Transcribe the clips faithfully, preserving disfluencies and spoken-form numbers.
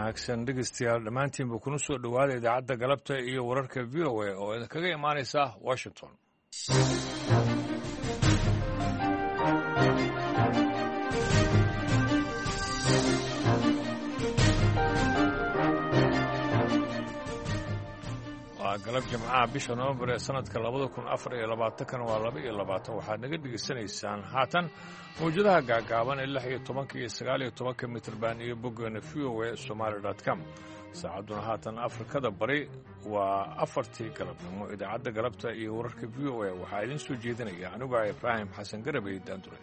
Wanaagsan dhegeystayaal dhammaantiinba, kuna soo dhowaada idaacadda galabta iyo wararka V O A oo idinkaga imaanaysa Washington. Waa galab Jimcaha, bisha Novembar ee sanadka labada kun afar iyo labaatankana waa laba iyo labaatan. Waxaad naga dhegeysanaysaan haatan mawjadaha gaagaaban ee lix iyo tobanka iyo sagaal iyo tobanka mitrban iyo boggeena V O A Somaali dot com. Saacadduna haatan Afrikada Bari waa afartii galabnimo. Idaacadda galabta iyo wararka V O A waxaa idiin soo jeedinaya anigu Ibraahim Xasan Garabey Daandure.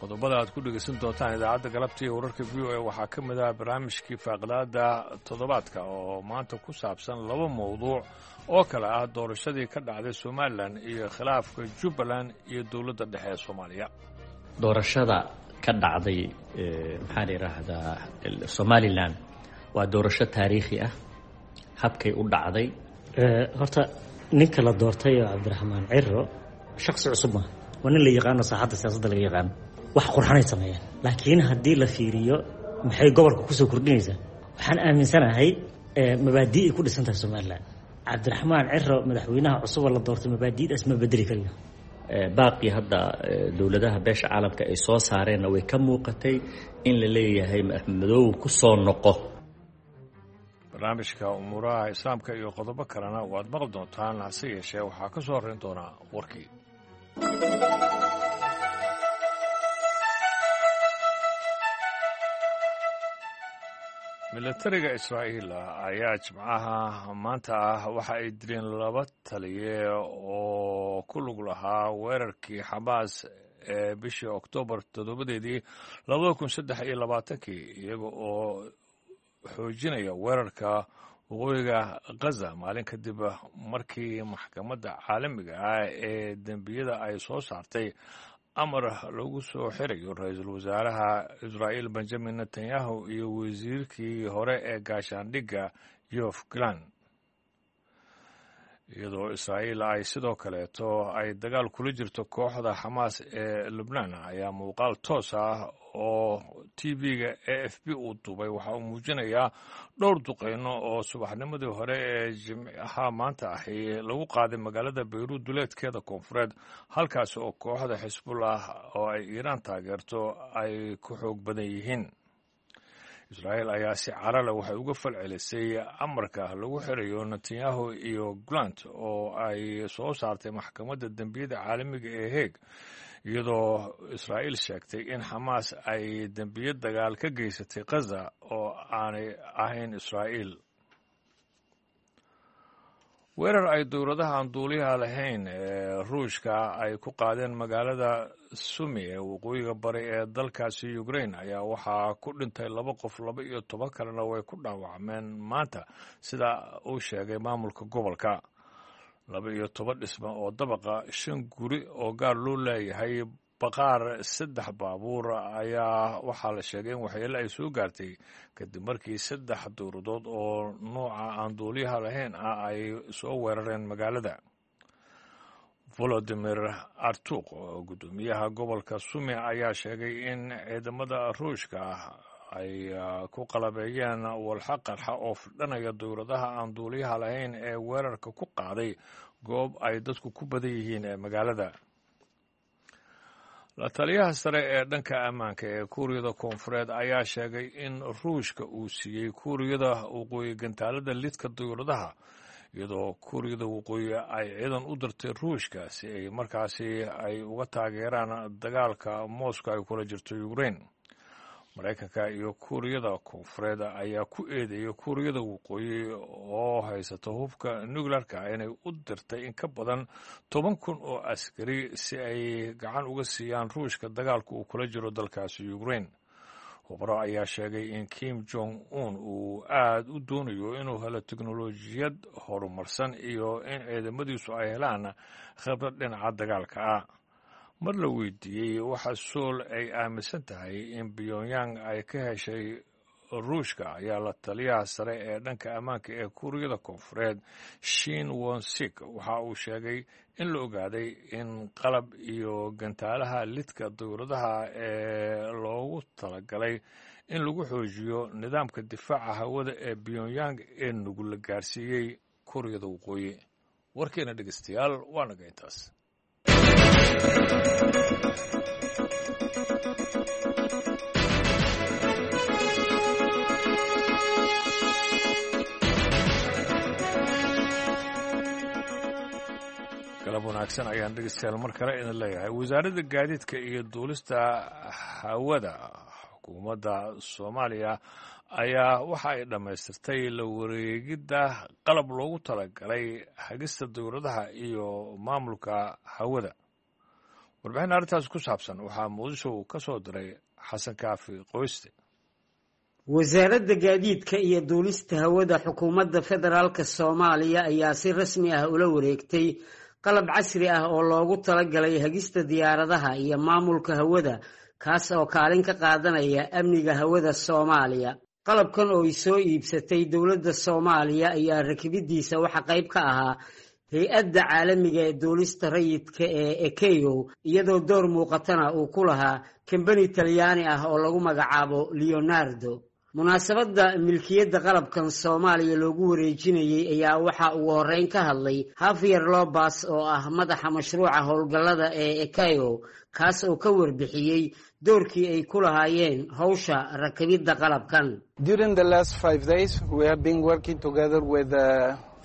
Qodobada aad ku dhegeysan doontaan idaacadda galabta iyo wararka V O A waxaa ka mid ah barnaamijkii faaqidaada toddobaadka oo maanta ku saabsan laba mowduuc oo kale ah: doorashadii ka dhacday Somaliland iyo khilaafka Jubbaland iyo dowladda dhexe ee Soomaaliya. Doorashada ka dhacday, maxaa la yidhaahdaa, Somaliland waa doorasho taariikhi ah habkay u dhacday. Horta ninka la doortay oo Cabdiraxmaan Ciro shaksi cusub maaha, waa nin la yaqaano, saaxadda siyaasadda laga yaqaano. Wax qurxanay sameeyaan, laakiin haddii la fiiriyo maxay gobolka kusoo kordhinaysaa, waxaan aaminsanahay mabaadii ay ku dhisan tahay Somaliland. Cabdiraxmaan Ciro, madaxweynaha cusuboo la doortay, mabaadiidaas ma bedeli karayo. Baaqii hadda dowladaha beesha caalamka ay soo saareenna way ka muuqatay in la leeyahay Madoow ku soo noqo. Barnaamijka umuuraha Islaamka iyo qodobo kalena waad maqli doontaan, hase yeeshee waxaa ka soo horreyn doonaa warkii. Milatariga Israa'iil ayaa Jimcaha maanta ah waxa ay dileen laba taliye oo ku lug lahaa weerarkii Xamaas ee bishii Oktoobar toddobadeedii labada kun saddex iyo labaatankii, iyaga oo xoojinaya weerarka waqooyiga Gaza, maalin kadib markii maxkamadda caalamiga ah ee dembiyada ay soo saartay amar lagu soo xirayo ra-iisul wasaaraha Israa'iil Benjamin Netanyahu iyo wasiirkii hore ee gaashaandhigga Yoav Gallant, iyadoo Israa'iil ay sidoo kaleeto ay dagaal kula jirto kooxda Xamaas ee Lubnaan. Ayaa muuqaal toos ah oo T V-ga A F P uu duubay waxa uu muujinayaa dhowr duqeyno oo subaxnimadii hore ee Jimcaha maanta ahi lagu qaaday magaalada Bayruud duleedkeeda koonfureed, halkaas oo kooxda Xisbullah oo ay Iiraan taageerto ay ku xoog badan yihiin. Israa'iil ayaa si carale waxay uga falcelisay amarka lagu xirayo Netanyahu iyo Gallant oo ay soo saartay maxkamadda dembiyada caalamiga ee Heeg, iyadoo Israa'iil sheegtay in Xamaas ay dembiyo dagaal ka geysatay Gaza oo aanay ahayn Israa'iil. Weerar ay dowladaha aan duuliyaha lahayn ee Ruushka ay ku qaadeen magaalada Sumi ee waqooyiga bari ee dalkaasi Ukrain ayaa waxaa ku dhintay laba qof, laba iyo toban kalena way ku dhaawacmeen maanta, sida uu sheegay maamulka gobolka. Laba iyo toban dhisme oo dabaqa, shan guri oo gaar loo leeyahay, baqaar, saddex baabuur ayaa waxaa la sheegay in waxyeelo ay soo gaartay kadib markii saddex dowladood oo nooca aan duuliyaha lahayn ah ay soo weerareen magaalada. Volodimir Artuq, oo guddoomiyaha gobolka Sumi, ayaa sheegay in ciidamada Ruushka ay ku qalabeeyeen walxa qarxa oo fidhanaya dowladaha aan duuliyaha lahayn ee weerarka ku qaaday goob ay dadku ku badan yihiin ee magaalada. La taliyaha sare ee dhanka ammaanka ee Kuuriyada Koonfureed ayaa sheegay in Ruushka uu siiyey Kuuriyada Waqooyi gantaalada lidka dowladaha, iyadoo Kuuriyada Waqooyi ay ciidan u dirtay Ruushka si ay markaasi ay uga taageeraan dagaalka Moscow ay kula jirto Ukraine. Maraykanka iyo Kuuriyada Koonfureed ayaa ku eedeeyay Kuuriyada Waqooyi oo haysata hubka nuclearka inay u dirtay in ka badan toban kun oo askari si ay gacan uga siiyaan Ruushka dagaalka uu kula jiro dalkaasi Ukraine. Khubaro ayaa sheegay in Kim Jong Un uu aad u doonayo inuu helo teknolojiyad horumarsan iyo in ciidamadiisu ay helaan khibrad dhinaca dagaalka ah. Mar la weydiiyey waxa Sool ay aaminsan tahay in Pyongyang ay ka heshay Ruushka ayaa la taliyaha sare ee dhanka ammaanka ee Kuuriyada Koonfureed Shin Wonsik waxa uu sheegay in la ogaaday in qalab iyo gantaalaha lidka dowladaha ee loogu talagalay in lagu xoojiyo nidaamka difaaca hawada ee Pyongyang ee nugul la gaarsiiyey Kuuriyada Waqooyi. Warkeena dhegeystayaal waa naga intaas. Galab wanaagsan ayaan dhegeystayaal mar kale idin leeyahay. Wasaaradda gaadiidka iyo duulista hawada xukuumadda Soomaaliya ayaa waxa ay dhammaystirtay la wareegidda qalab loogu talagalay hagista dowladaha iyo maamulka hawada. Warbixin arrintaas ku saabsan waxaa Muqdisho uu ka soo diray Xasan Kaafi Qoyste. Wasaaradda gaadiidka iyo duulista hawada xukuumadda federaalka Soomaaliya ayaa si rasmi ah ula wareegtay qalab casri ah oo loogu talagalay hagista diyaaradaha iyo maamulka hawada, kaas oo kaalin ka qaadanaya amniga hawada Soomaaliya. Qalabkan oo ay soo iibsatay dowladda Soomaaliya ayaa rakibidiisa waxa qayb ka ahaa hay-adda caalamiga ee duulista rayidka ee Ekeo, iyadoo door muuqatana uu ku lahaa kambani Talyaani ah oo lagu magacaabo Leonardo. Munaasabadda milkiyadda qalabkan Soomaaliya loogu wareejinayey ayaa waxa ugu horreyn ka hadlay Javier Lobas oo ah madaxa mashruuca howlgallada ee Ekeo, kaas oo ka warbixiyey doorkii ay ku lahaayeen howsha rakibidda qalabkan. During the last five days we have been working together with the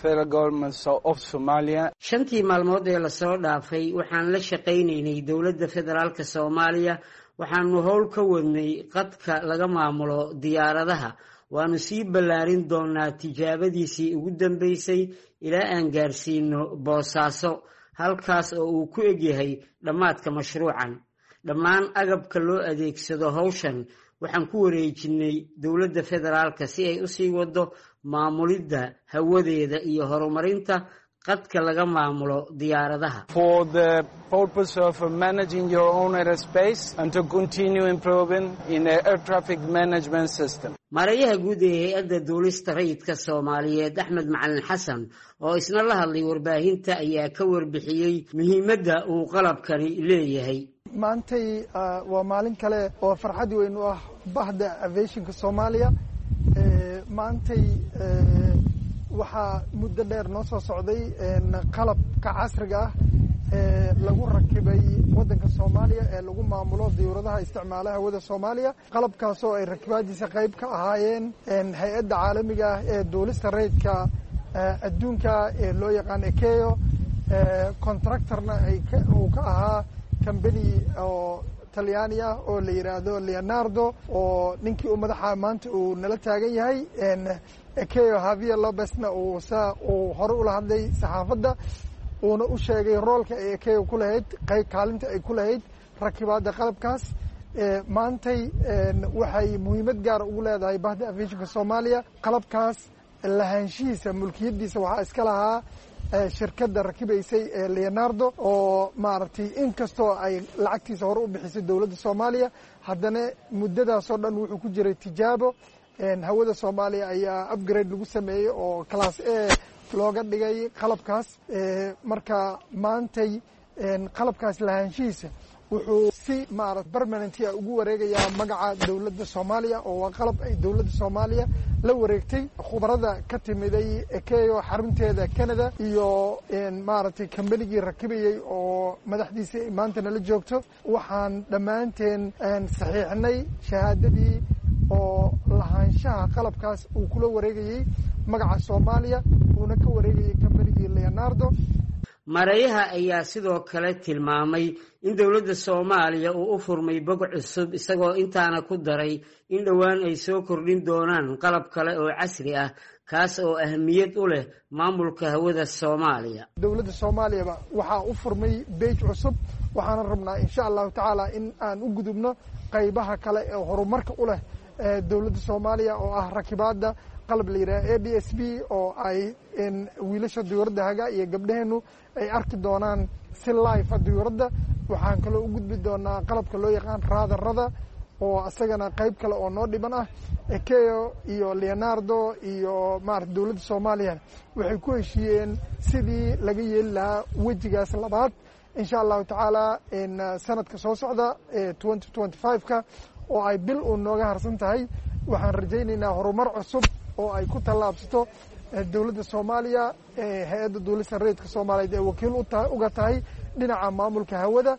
federal government of Somalia. Shantii maalmood ee lasoo dhaafay waxaan la shaqaynaynay dowladda federaalka Soomaaliya. Waxaanu howl ka wadnay qadka laga maamulo diyaaradaha. Waanu sii ballaarin doonaa tijaabadiisii ugu dambeysay ilaa aan gaarsiino Boosaaso, halkaas oo uu ku egyahay dhammaadka mashruucan. Dhammaan agabka loo adeegsado howshan waxaan ku wareejinay dowladda federaalka si ay usii wado maamulidda hawadeeda iyo horumarinta qadka laga maamulo diyaaradaha. For the purpose of managing your own airspace and to continue improving in the air traffic management system. Maareeyaha guud ee hay-adda duulista rayidka Soomaaliyeed Axmed Macalin Xasan oo isna la hadlay warbaahinta ayaa ka warbixiyey muhiimadda uu qalabkani leeyahay. Maantay waa maalin kale oo farxad weyn u ah bahda aviationka Soomaaliya. Maantay waxaa muddo dheer noo soo socday qalabka casriga ah ee lagu rakibay waddanka Soomaaliya ee lagu maamulo diyuuradaha isticmaala hawada Soomaaliya. Qalabkaasoo ay rakibaadiisa qayb ka ahaayeen hay-adda caalamiga ah ee duulista rayidka adduunka ee loo yaqaan Ekeo, contractorna ay uu ka ahaa company oo Talyaani ah oo la yidhaahdo Leonardo, oo ninkii uu madaxa maanta uu nala taagan yahay. Ekeo Javier Lopezna uu sa uu hore ula hadlay saxaafadda, uuna u sheegay roolka ay Ekeo ku lahayd, qayb kaalinta ay ku lahayd rakibaadda qalabkaas. Maantay waxay muhiimad gaara ugu leedahay bahda aviationka Soomaaliya. Qalabkaas lahaanshihiisa, mulkiyaddiisa waxaa iska lahaa shirkadda rakibaysay ee Leonardo, oo maaragtay inkastoo ay lacagtiisa hore u bixisay dowladda Soomaaliya, haddana muddadaasoo dhan wuxuu ku jiray tijaabo. Hawada Soomaaliya ayaa upgrade lagu sameeyey oo class A looga dhigay qalabkaas. Marka maantay qalabkaas lahaanshihiisa wuxuu si maarata permanentia ugu wareegayaa magaca dowladda Soomaaliya, oo waa qalab ay dowladda Soomaaliya la wareegtay. Khubarada ka timiday Ekeo xarunteeda Canada iyo maaragtay kambanigii rakibayey oo madaxdiisii ay maanta nala joogto, waxaan dhammaanteen saxiixnay shahaadadii oo lahaanshaha qalabkaas uu kula wareegayey magaca Soomaaliya, uuna ka wareegayey kambanigii Leonardo. Maareeyaha ayaa sidoo kale tilmaamay in dowladda Soomaaliya uu u furmay bog cusub, isagoo intaana ku daray in dhowaan ay soo kordhin doonaan qalab kale oo casri ah, kaas oo ahmiyad u leh maamulka hawada Soomaaliya. Dowladda Soomaaliyaba waxaa u furmay beej cusub, waxaana rabnaa insha allahu tacaala in aan u gudubno qaybaha kale ee horumarka u leh dowladda Soomaaliya, oo ah rakibaadda qalab la yidhaha A D S B, oo ay wiilasha diyuuradda haga iyo gabdhaheennu ay arki doonaan si life a diyuuradda. Waxaan kaloo u gudbi doonaa qalabka loo yaqaan raadarada, oo asagana qayb kale oo noo dhiban ah. I C A O iyo Leonardo iyo maarata dowladda Soomaaliyana waxay ku heshiiyeen sidii laga yeeli lahaa wejigaas labaad, insha Allahu tacaala, sanadka soo socda twenty twenty five-ka oo ay bil uun nooga harsan tahay. Waxaan rajaynaynaa horumar cusub oo ay ku tallaabsato dowladda Soomaaliya, Hay-adda Duulista Rayidka Soomaaliyeed ee wakiil uga tahay dhinaca maamulka hawada,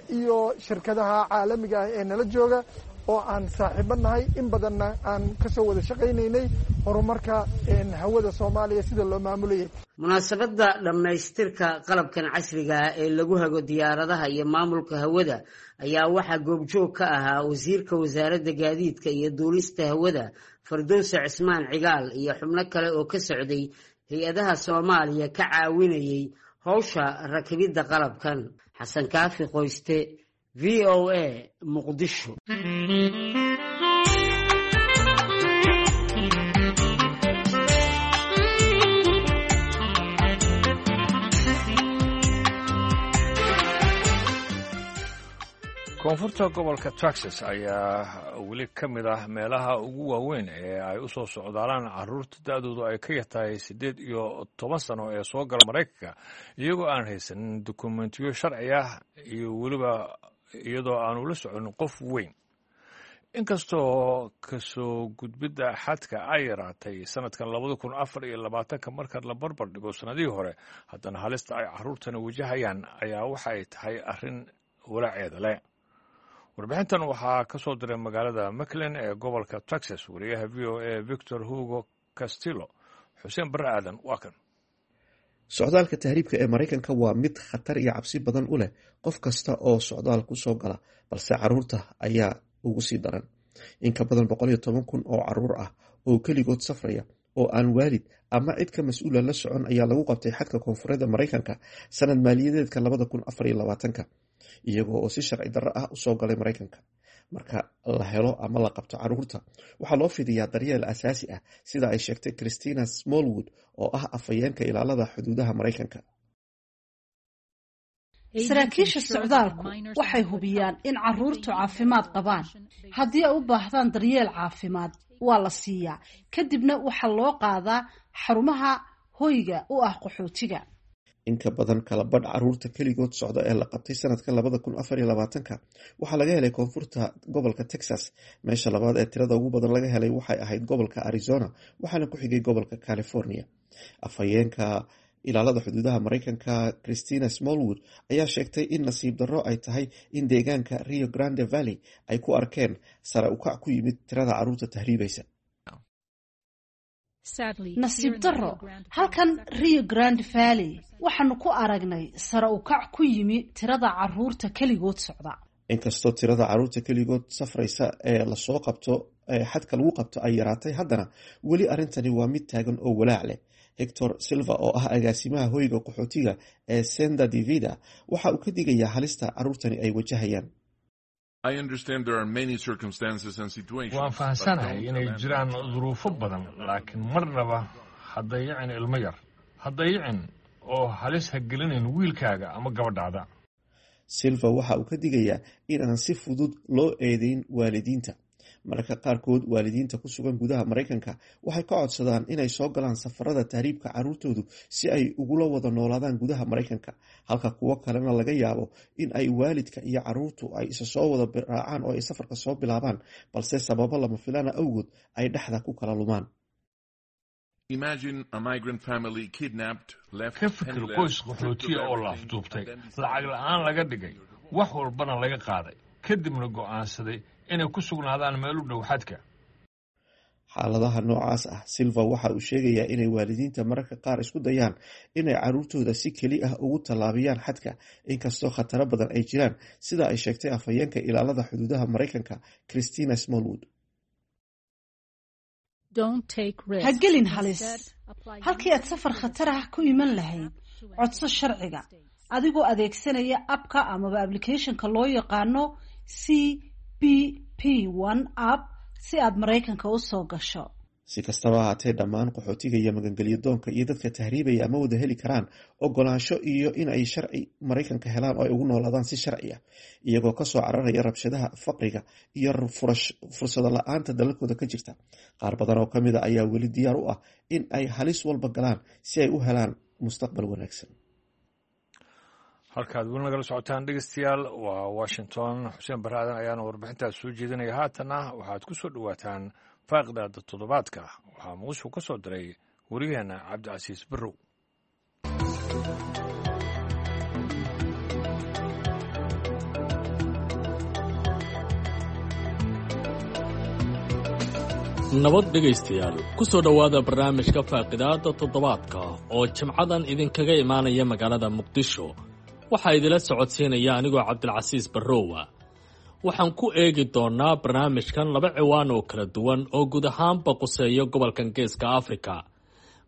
iyo shirkadaha caalamiga ah ee nala jooga oo aan saaxiibo nahay, in badanna aan kasoo wada shaqaynaynay horumarka hawada Soomaaliya sida loo maamulayay. Munaasabadda dhammaystirka qalabkan casriga ah ee lagu hago diyaaradaha iyo maamulka hawada ayaa waxaa goobjoog ka ahaa wasiirka Wasaaradda Gaadiidka iyo Duulista Hawada, Fardowse Cismaan Cigaal, iyo xubno kale oo ka socday hay-adaha Soomaaliya ka caawinayay howsha rakibidda qalabkan. Xasan Kaafi Qoyste, V O A, Muqdisho. Koonfurta gobolka Texas ayaa weli ka mid ah meelaha ugu waaweyn ee ay u soo socdaalaan caruurta da-doodu ay ka yartahay siddeed iyo toban sano ee soo gala Maraykanka iyagoo aan haysanin dukumentiyo sharci ah iyo weliba iyadoo aanu la soconin qof weyn. Inkastoo kasoo gudbidda xadka ay yaraatay sanadkan labada kun afar iyo labaatanka marka la barbar dhigo sannadihii hore, haddana halista ay caruurtani wajahayaan ayaa waxa ay tahay arrin walaaceeda leh. Warbixintan waxaa ka soo diray magaalada McAllen ee gobolka Texas wariyaha V O A Victor Hugo Castillo. Xuseen Barre Aadan waa kan. Socdaalka tahriibka ee Maraykanka waa mid khatar iyo cabsi badan u leh qof kasta oo socdaal ku soo gala, balse caruurta ayaa ugu sii daran. In ka badan boqol iyo toban kun oo caruur ah oo keligood safraya oo aan waalid ama cid ka mas-uula la socon ayaa lagu qabtay xadka koonfureedda Maraykanka sanad maaliyadeedka labada kun afar iyo labaatanka, iyagoo oo si sharci darro ah usoo galay Maraykanka. Marka la helo ama la qabto caruurta, waxaa loo fidiyaa daryeel asaasi ah, sida ay sheegtay Christina Smallwood oo ah afhayeenka ilaalada xuduudaha Maraykanka. Saraakiisha socdaalku waxay hubiyaan in caruurtu caafimaad qabaan. Haddii ay u baahdaan daryeel caafimaad, waa la siiyaa, kadibna waxaa loo qaadaa xarumaha hoyga u ah qaxootiga. Inka badan kala badh caruurta keligood socda ee la qabtay sanadka labada kun afar iyo labaatanka waxaa laga helay koonfurta gobolka Texas. Meesha labaad ee tirada ugu badan laga helay waxay ahayd gobolka Arizona, waxaana ku xigay gobolka California. Afhayeenka ilaalada xuduudaha Maraykanka Christina Smallwood ayaa sheegtay in nasiib darro ay tahay in deegaanka Rio Grande Valley ay ku arkeen sare ukac ku yimid tirada caruurta tahriibaysa. Nasiib darro, halkan Rio Grande Valley waxaanu ku aragnay sare ukac ku yimi tirada caruurta keligood socda. Inkastoo tirada caruurta keligood safraysa ee lasoo qabto ee xadka lagu qabto ay yaraatay, haddana weli arrintani waa mid taagan oo walaac leh. Hector Silva oo ah agaasimaha hoyga qaxootiga ee Senda Divida waxa uu ka digayaa halista caruurtani ay wajahayaan. Waan fahansanahay inay jiraan duruufo badan, laakiin marnaba ha dayicin ilmo yar, ha dayicin oo halis ha gelinin wiilkaaga ama gabadhaada. Silva waxa uu ka digayaa in aan si fudud loo eedeyn waalidiinta. Mararka qaarkood waalidiinta ku sugan gudaha Maraykanka waxay ka codsadaan inay soo galaan safarada tahriibka caruurtoodu si ay ugula wada noolaadaan gudaha Maraykanka, halka kuwo kalena laga yaabo in ay waalidka iyo caruurtu ay isa soo wada raacaan oo ay safarka soo bilaabaan, balse sababo lama filaana awgood ay dhexda ku kala lumaan. Ka fikir qoys qaxootiya oo la afduubtay, lacag la'aan laga dhigay, wax walbana laga qaaday, kadibna go'aansaday inay ku sugnaadaan meel u dhow xadka. Xaaladaha noocaas ah, Silva waxa uu sheegayaa inay waalidiinta mararka qaar isku dayaan inay caruurtooda si keli ah ugu tallaabiyaan xadka, inkastoo khataro badan ay jiraan, sida ay sheegtay afhayeenka ilaalada xuduudaha Maraykanka Christina Smallwood. Ha gelin halis. Halkii aad safar khatar ah ku iman lahayd, codso sharciga adigoo adeegsanaya app-ka amaba applicationka loo yaqaano C B P One App si aad Maraykanka u soo gasho. Si kastaba ahaatee, dhammaan qaxootiga iyo magangelyo doonka iyo dadka tahriibaya ma wada heli karaan ogolaansho iyo in ay sharci Maraykanka helaan oo ay ugu noolaadaan si sharci ah, iyagoo kasoo cararaya rabshadaha, faqriga iyo fursado la-aanta dalalkooda ka jirta. Qaar badan oo kamid a ayaa weli diyaar u ah in ay halis walba galaan si ay u helaan mustaqbal wanaagsan. Halkaad weli nagala socotaan, dhegeystayaal, waa Washington. Xuseen Barre Aadan ayaana warbixintaas soo jeedinaya. Haatanna waxaad ku soo dhowaataan faaqidaada toddobaadka. Waxaa Muqdisho ka soo diray wariyaheenna Cabdicasiis Barrow. Nabad dhegaystayaal, ku soo dhowaada barnaamijka faaqidaada toddobaadka oo jimcadan idinkaga imaanaya magaalada Muqdisho. Waxaa idila socodsiinaya anigoo Cabdilcasiis Barrowa. Waxaan ku eegi doonnaa barnaamijkan laba ciwaan oo kala duwan oo guud ahaanba quseeya gobolkan Geeska Afrika.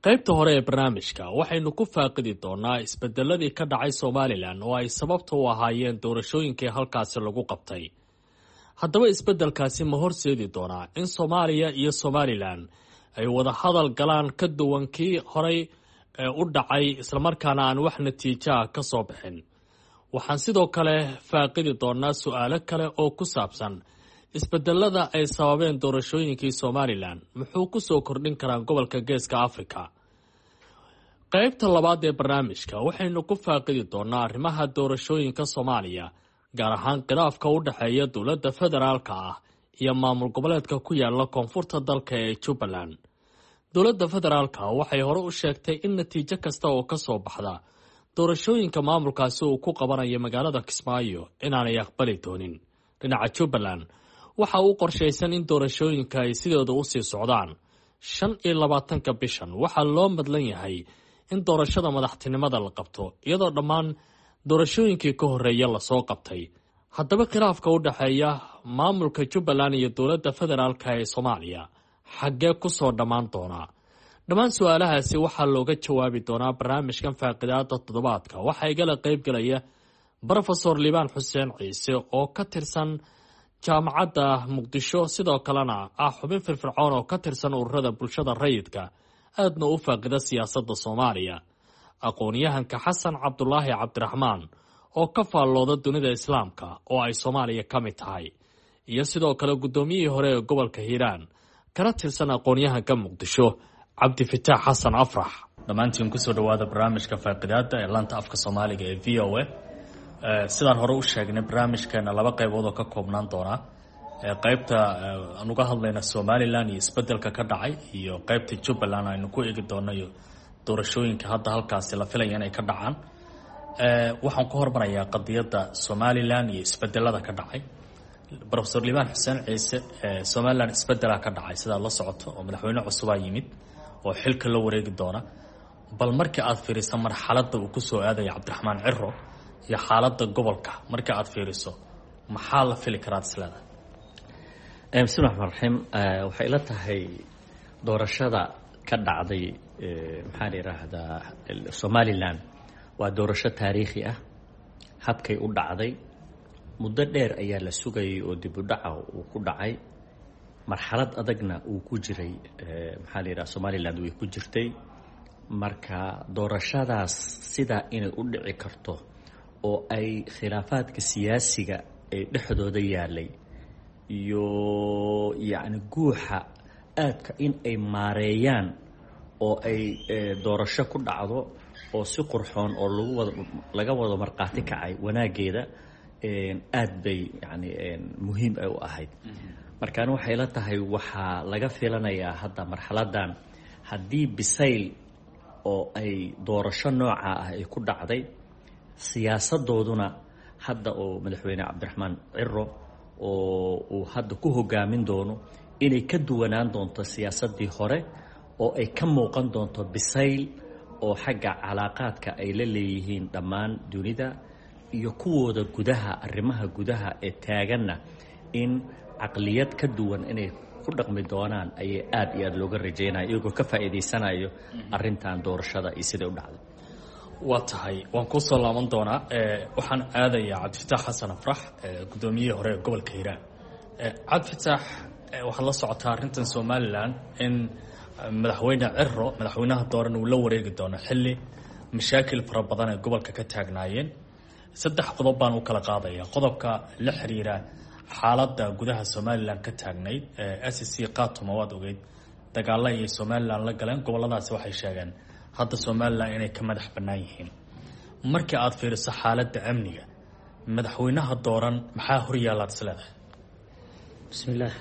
Qaybta hore ee barnaamijka waxaynu ku faaqidi doonnaa isbedeladii ka dhacay Somalilan oo ay sababta u ahaayeen doorashooyinkii halkaasi lagu qabtay. Haddaba isbeddelkaasi ma horseedi doonaa in Soomaaliya iyo Somalilan ay wada hadal galaan ka duwan kii horay u dhacay, islamarkaana aan wax natiijaha ka soo bixin? Waxaan sidoo kale faaqidi doonaa su-aalo kale oo ku saabsan isbedelada ay sababeen doorashooyinkii Somalilan, muxuu ku soo kordhin karaa gobolka Geeska Afrika? Qaybta labaad ee barnaamijka waxaynu ku faaqidi doonaa arrimaha doorashooyinka Soomaaliya, gaar ahaan khilaafka u dhexeeya dowladda federaalka ah iyo maamul goboleedka ku yaala koonfurta dalka ee Jubbaland. Dowladda federaalka waxay hore u sheegtay in natiijo kasta oo ka soo baxda doorashooyinka maamulkaasi uu ku qabanayo magaalada Kismaayo inaanay aqbali doonin. Dhinaca Jubbaland waxa uu qorshaysan in doorashooyinka ay sidooda usii socdaan. Shan iyo labaatanka bishan waxaa loo madlan yahay in doorashada madaxtinimada la qabto, iyadoo dhammaan doorashooyinkii ka horreeya lasoo qabtay. Haddaba khilaafka u dhexeeya maamulka Jubbaland iyo dowladda federaalka ee Soomaaliya xaggee ku soo dhammaan doonaa? Dhammaan su-aalahaasi waxaa looga jawaabi doonaa barnaamijkan faaqidaada toddobaadka. Waxaa igala qaybgalaya Brofesor Liibaan Xuseen Ciise oo ka tirsan Jaamacadda Muqdisho, sidoo kalena ah xubin firfircoon oo ka tirsan ururada bulshada rayidka, aadna u faaqida siyaasadda Soomaaliya, aqoon-yahanka Xasan Cabdulaahi Cabdiraxmaan oo ka faallooda dunida Islaamka oo ay Soomaaliya ka mid tahay, iyo sidoo kale guddoomiyihii hore ee gobolka Hiiraan kana tirsan aqoon-yahanka Muqdisho, Cabdifitaax Xasan Afrax. Dhammaantiin kusoo dhowaada barnaamijka faaqidaada ee laanta afka Soomaaliga ee V O A. Sidaan hore u sheegnay, barnaamijkeena laba qaybood oo ka koobnaan doonaa: qaybta aan uga hadlayna Somalilan iyo isbedelka ka dhacay, iyo qaybta Jubbaland aynu ku eegi doono iyo doorashooyinka hadda halkaasi la filaya inay ka dhacaan. Waxaan ku hormarayaa qadiyadda Somalilan iyo isbedelada ka dhacay. Profesor Liibaan Xuseen Ciise, Somalilan isbedelaa ka dhacay sidaad la socoto, oo madaxweyne cusubaa yimid oo xilka la wareegi doona. Bal markii aad fiiriso marxaladda uu kusoo aadaya Cabdiraxmaan Ciro iyo xaaladda gobolka marka aad fiiriso, maxaa la fili karaad isleedahay? Bismi raxmaan raxiim. Waxay ila tahay doorashada ka dhacday, maxaa la yidhaahdaa, Somalilan waa doorasho taariikhi ah. Habkay u dhacday, muddo dheer ayaa la sugayay oo dib u dhaca uu ku dhacay, marxalad adagna uu ku jiray, maxaa la yidhaha, Somaliland way ku jirtay. Marka doorashadaas sidaa inay u dhici karto oo ay khilaafaadka siyaasiga ee dhexdooda yaalay iyo yacni guuxa aadka in ay maareeyaan oo ay doorasho ku dhacdo oo si qurxoon oo lagu wada laga wado markhaati kacay wanaaggeeda, aad bay yacni muhiim ay u ahayd. Markaan waxay la tahay waxaa laga filanayaa hadda marxaladdan, haddii bisayl oo ay doorasho nooca ah ay ku dhacday, siyaasadooduna hadda oo madaxweyne Cabdiraxmaan Ciro oo uu hadda ku hogaamin doono inay ka duwanaan doonto siyaasaddii hore, oo ay ka muuqan doonto bisayl oo xagga calaaqaadka ay la leeyihiin dhammaan dunida iyo kuwooda gudaha, arrimaha gudaha ee taaganna, in caqliyad ka duwan inay ku dhaqmi doonaan ayay aada iyo aada looga rajaynaya, iyagoo ka faa'iidaysanayo arrintan doorashada iyo siday u dhacday. Waa tahay, waan kuusoo laaban doonaa. Waxaan aadayaa Cabdifitaax Xasan Afrax, guddoomiyihii hore ee gobolka Hiiraan. Cabdifitaax, Waxaad la socotaa arrintan Somalilan in madaxweyne Ciro, madaxweynaha dooran, uu la wareegi doono xilli mashaakil fara badan ay gobolka ka taagnaayeen. Saddex qodob baan u kala qaadaya. Qodobka la xiriira xaaladda gudaha Somalilan ka taagnayd, S C Khaatumo, waad ogeyd dagaalo ayay Somalilan la galeen goboladaasi, waxay sheegeen hadda Somalilan inay ka madax bannaan yihiin. Markii aada fiiriso xaaladda amniga, madaxweynaha dooran maxaa horyaalaad is leedahay? Bismillaah.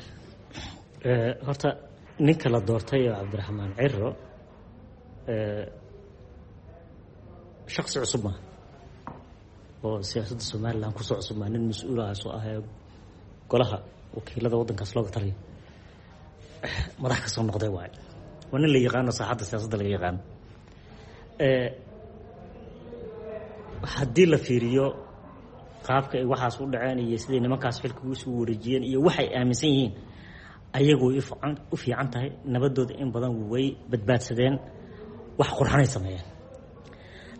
Horta ninka la doortay oo Cabdiraxmaan Ciro shaksi cusub maaha oo siyaasadda Somalilan kusoo cusub maa, nin mas-uul ah soo ah ee golaha wakiilada waddankaas looga taliyo madax ka soo noqday waaye. Waa nin la yaqaano, saaxadda siyaasadda laga yaqaano. Haddii la fiiriyo qaabka ay waxaas u dhaceen iyo siday nimankaas xilka isu wareejiyeen iyo waxay aaminsan yihiin, ayagu way u fiican tahay nabadooda, in badan way badbaadsadeen, wax qurxanay sameeyeen.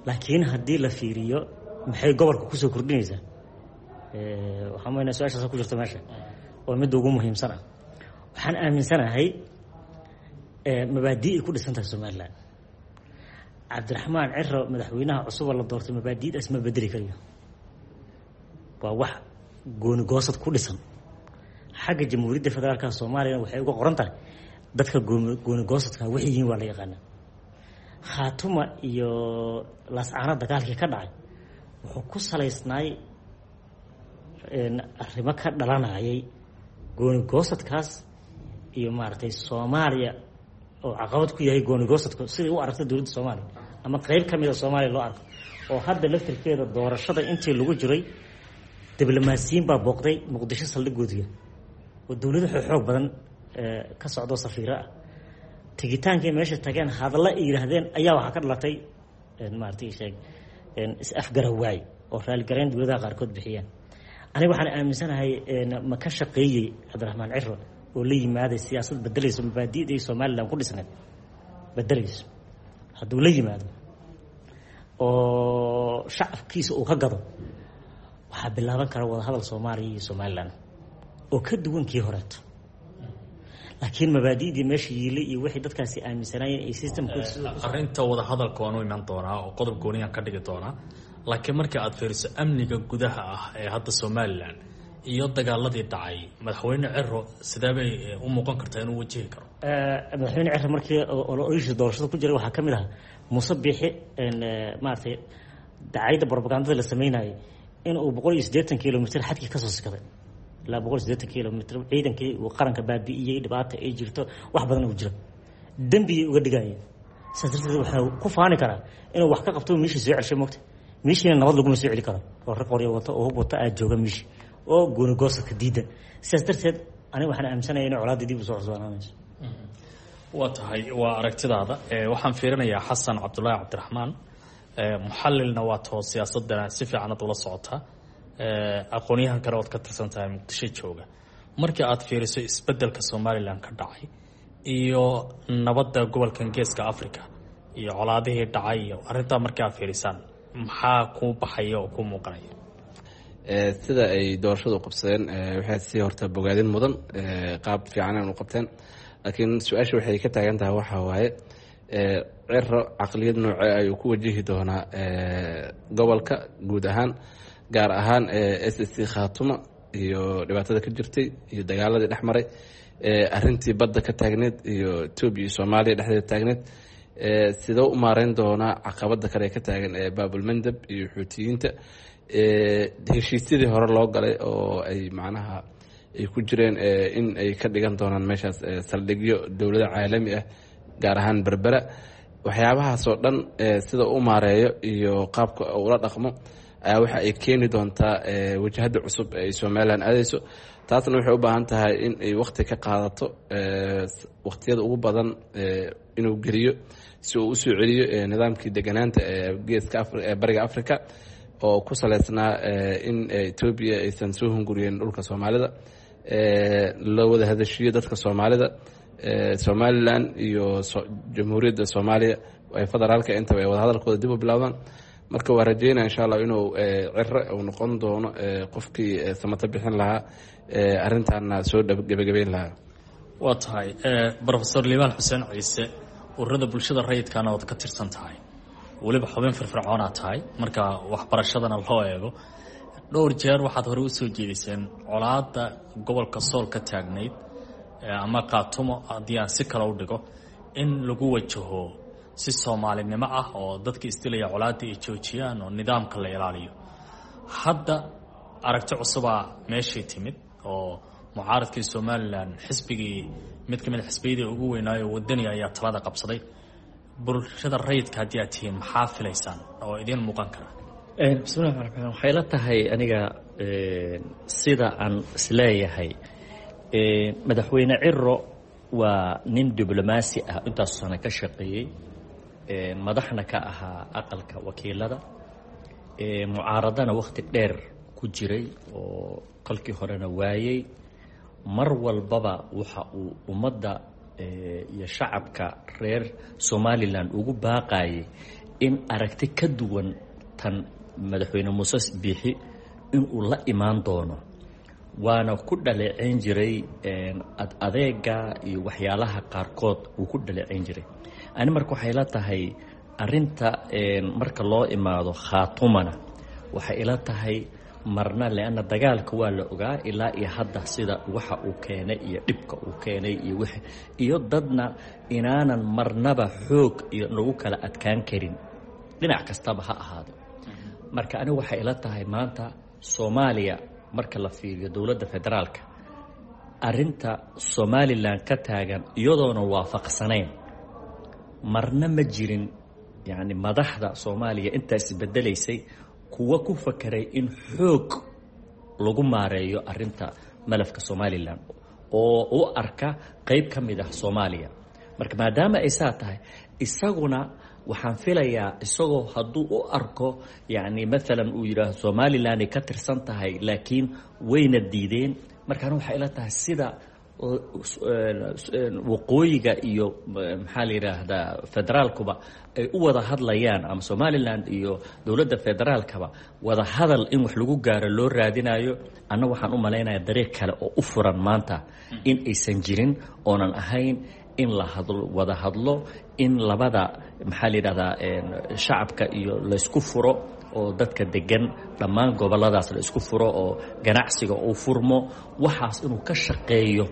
Laakiin haddii la fiiriyo maxay gobolka kusoo kordhinaysaa, waxaan maynaa su-aashaas ku jirta meesha oo midda ugu muhiimsan ah. Waxaan aaminsanahay mabaadii ay ku dhisan tahay Somalilan. Cabdiraxmaan Ciro, madaxweynaha cusuba la doortay, mabaadiidaas ma bedeli karayo. Waa wax gooni goosad ku dhisan. Xagga Jamhuuriyadda Federaalka Soomaaliyana waxay uga qoran tahay dadka gooni goosadka waxay yihiin waa la yaqaanaa. Khaatuma iyo Laascaano dagaalkii ka dhacay wuxuu ku salaysnaay arrimo ka dhalanayay gooni goosadkaas iyo maaragtay Soomaaliya oo caqabad ku yahay gooni goosadku siday u aragta dowladda Soomaaliya ama qeyb ka mid a Soomaaliya loo arko. Oo hadda laftirkeeda doorashada intii lagu jiray diblomaasiyiin baa booqday Muqdisho saldhigoodiga oo dowlado xoog badan ka socdo safiiro ah. Tegitaankay meesha tageen, hadalla ay yidhaahdeen ayaa waxaa ka dhalatay maaragtay sheeg is-afgarawaay oo raaligarayn dowladaha qaarkood bixiyeen. Aniga waxaan aaminsanahay ma ka shaqeeyey Cabdiraxmaan Ciro oo la yimaaday siyaasad bedelayso mabaadi'dii Somalilan ku dhisneed bedelayso, hadduu la yimaado oo shacabkiisa uu ka gado, waxaa bilaaban kara wadahadal Soomaaliya iyo Somalilan oo ka duwan kii horeeto. Laakiin mabaadi'dii meesha yiilay iyo wixii dadkaasi aaminsanaayeen ay systemkooda Arrinta wadahadalka waan u iman doonaa oo qodob gooniyaan ka dhigi doonaa, laakiin markii aada fiiriso amniga gudaha ah ee hadda Somalilan iyo dagaaladii dhacay, madaxweyne Ciro sidee bay u muuqan kartaa inuu wajihi karo? Madaxweyne Ciro markii ololihiisa doorashada ku jiray waxaa ka mid ahaa Muuse Biixi maaragtay dacayda propagandada la sameynayay in uu boqol iyo siddeetan kilomitr xadkii kasoo sikaday, ilaa boqol iyo siddeetan kilomitr ciidankii uu qaranka baabi'iyey, dhibaata ay jirto, wax badan uu jiro, dembiyay uga dhigayeen. Saas darteed waxaa ku faani karaa inuu wax ka qabto meeshii soo celshay. Mogta meeshiina nabad laguma soo celi karo oo rag qoryo wato oo hub wata aada jooga meeshii oo gooni goosadka diidan. Sidaas darteed aniga waxaan aaminsanaya inay colaadii dib usoo cusbaanaanayso. Waa tahay, waa aragtidaada. Waxaan fiirinayaa Xasan Cabdullaahi Cabdiraxmaan, muxalilna waa too siyaasadana si fiican ad ula socotaa, aqoonyahan kale ood ka tirsan tahay Muqdisho jooga. Markii aad fiiriso isbedelka Somalilan ka dhacay iyo nabadda gobolkan Geeska Africa iyo colaadihii dhacay iyo arrintaa markii aad fiirisaan, maxaa kuu baxaya oo kuu muuqanaya? Sida ay doorashadu qabsadeen waxay si horta bogaadin mudan, qaab fiican u qabteen, laakiin su-aasha waxay ka taagan tahay waxaa waaye Ciro caqliyad noocee ayuu ku wajihi doonaa gobolka guud ahaan, gaar ahaan S S C Khaatuma iyo dhibaatada ka jirtay iyo dagaaladii dhex maray, arrintii badda ka taagneed iyo Etoobiya iyo Soomaaliya dhexdeeda taagneed. Sidoo u maareyn doonaa caqabada kale ka taagan ee Baabulmandab iyo Xuutiyiinta, heshiisyadii hore loo galay oo ay macnaha ay ku jireen in ay ka dhigan doonaan meeshaas saldhigyo dowlado caalami ah, gaar ahaan Berbera? Waxyaabahaasoo dhan sida u maareeyo iyo qaabka ula dhaqmo ayaa waxa ay keeni doontaa wajahada cusub ee ay Somalilan aadeyso. Taasna waxay u baahan tahay in ay wakti ka qaadato, wakhtiyada ugu badan inuu geliyo si uu usoo celiyo nidaamkii deganaanta ee geeska ee Bariga Africa oo ku saleysnaa in Etoobiya aysan soo hunguriyeen dhulka Soomaalida, la wada hadashiyo dadka Soomaalida, Somalilan iyo Jamhuuriyadda Soomaaliya ay federaalka intaba ay wadahadalkooda dib u bilaabdaan. Marka waa rajeynaya insha Allah inuu Ciro uu noqon doono qofkii samata bixin lahaa, arrintaana soo gebagabeyn lahaa. Waa tahay Profesor Liibaan Xuseen Ciise, ururada bulshada rayidkana ood ka tirsan tahay, weliba xubin firfircoonaa tahay marka waxbarashadana loo eego. Dhowr jeer waxaad hore usoo jeediseen colaada gobolka Sool ka taagnayd ama Kaatumo haddii aan si kale u dhigo, in lagu wajaho si soomaalinimo ah oo dadka isdilaya colaadda ay joojiyaan oo nidaamka la ilaaliyo. Hadda aragti cusubaa meeshii timid oo mucaaradkii Somalilan, xisbigii mid ka mid a xisbiyadii ugu weynaayo Wadani ayaa talada qabsaday. Bulshada rayidka haddii aad tihiin, maxaa filaysaan oo idiin muuqan kara? Bismillahi raxmaan raxiim. Waxay la tahay aniga sida aan isleeyahay, madaxweyne Ciro waa nin diblomaasi ah, intaas sano ka shaqeeyey, madaxna ka ahaa aqalka wakiilada, mucaaradana wakhti dheer ku jiray oo kolkii horena waayey. Mar walbaba waxa uu ummadda iyo shacabka reer Somalilan ugu baaqayay in aragti ka duwan tan madaxweyne Muuse Biixi inuu la imaan doono, waana ku dhaleeceyn jiray ad adeega iyo waxyaalaha qaarkood uu ku dhaleeceyn jiray. Ani marka waxay la tahay arinta marka loo imaado Khaatumana, waxay ila tahay marna leanna dagaalka waa la ogaa ilaa iyo hadda sida waxa uu keenay iyo dhibka uu keenay iyo w iyo dadna inaanan marnaba xoog iyo lagu kala adkaan karin, dhinac kastaba ha ahaado. Marka anigu waxay ila tahay maanta Soomaaliya marka la fiiriyo dowladda federaalka, arinta Somalilan ka taagan iyadoona waafaqsanayn marna ma jirin. Yacni madaxda Soomaaliya intaas isbedelaysay kuwa ku fakeray in xoog lagu maareeyo arinta malafka Somalilan oo u arka qeyb ka mid ah Soomaaliya. Marka maadaama ay saa tahay, isaguna waxaan filayaa isagoo hadduu u arko, yacni maalan uu yidhaahdo Somalilan ay ka tirsan tahay, laakiin wayna diideen. Markaana waxay ila tahay sida waqooyiga iyo maxaa la yidhaahdaa federaalkuba ay u wada hadlayaan ama Somalilan iyo dowladda federaalkaba wada hadal in wax lagu gaaro loo raadinayo, anna waxaan u malaynaya dariiq kale oo u furan maanta in aysan jirin oonan ahayn in la hadlo, wada hadlo, in labada maxaa la yidhahdaa shacabka iyo laysku furo oo dadka degan dhammaan goboladaas la isku furo oo ganacsiga uu furmo, waxaas inuu ka shaqeeyo.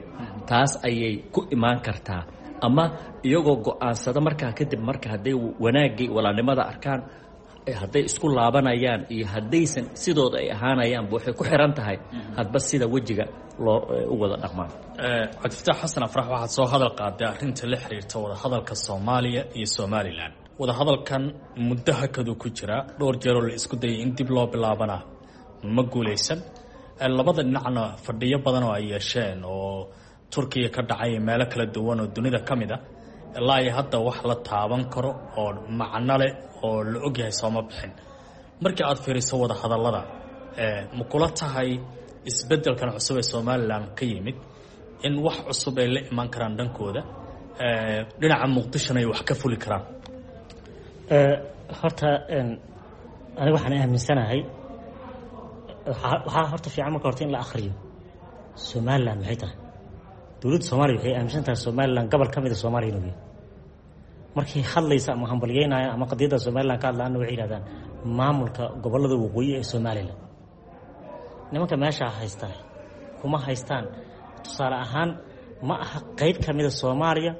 Taas ayay ku imaan kartaa, ama iyagoo go-aansada markaa kadib marka hadday wanaaggii walaalnimada arkaan, hadday isku laabanayaan iyo haddaysan sidooda ay ahaanayaanba waxay ku xiran tahay hadba sida wejiga loo u wada dhaqmaan. Cabdifataax Xasan Afrax, waxaad soo hadal qaaday arrinta la xiriirta wadahadalka Soomaaliya iyo Somalilan. Wadahadalkan muddo hakaduu ku jiraa, dhowr jeeroo la isku dayay in dib loo bilaabana ma guulaysan. Labada dhinacna fadhiyo badan oo ay yeesheen oo Turkiya ka dhacay, meelo kala duwan oo dunida ka mid a, ilaa iyo hadda wax la taaban karo oo macno leh oo la ogyahay sooma bixin. Markii aad fiiriso wadahadallada, ma kula tahay isbeddelkan cusub ee Somalilan ka yimid in wax cusub ay la imaan karaan dhankooda, dhinaca Muqdishona ay wax ka fuli karaan? Horta aniga waxaan aaminsanahay waxaa horta fiican marka horta in la akriyo Somalilan maxay tahay. Dowladda Soomaaliya waxay aaminsan tahay Somalilan gobol ka mid a Soomaaliya inuu yahay. Markay hadlaysa ama hambalyeynaya ama qadiyadda Somalilan ka hadlaana, waxay yidhahdaan maamulka gobollada waqooyi ee Somalilan. Nimanka meeshaa haystaa kuma haystaan tusaale ahaan ma aha qeyb ka mida Soomaaliya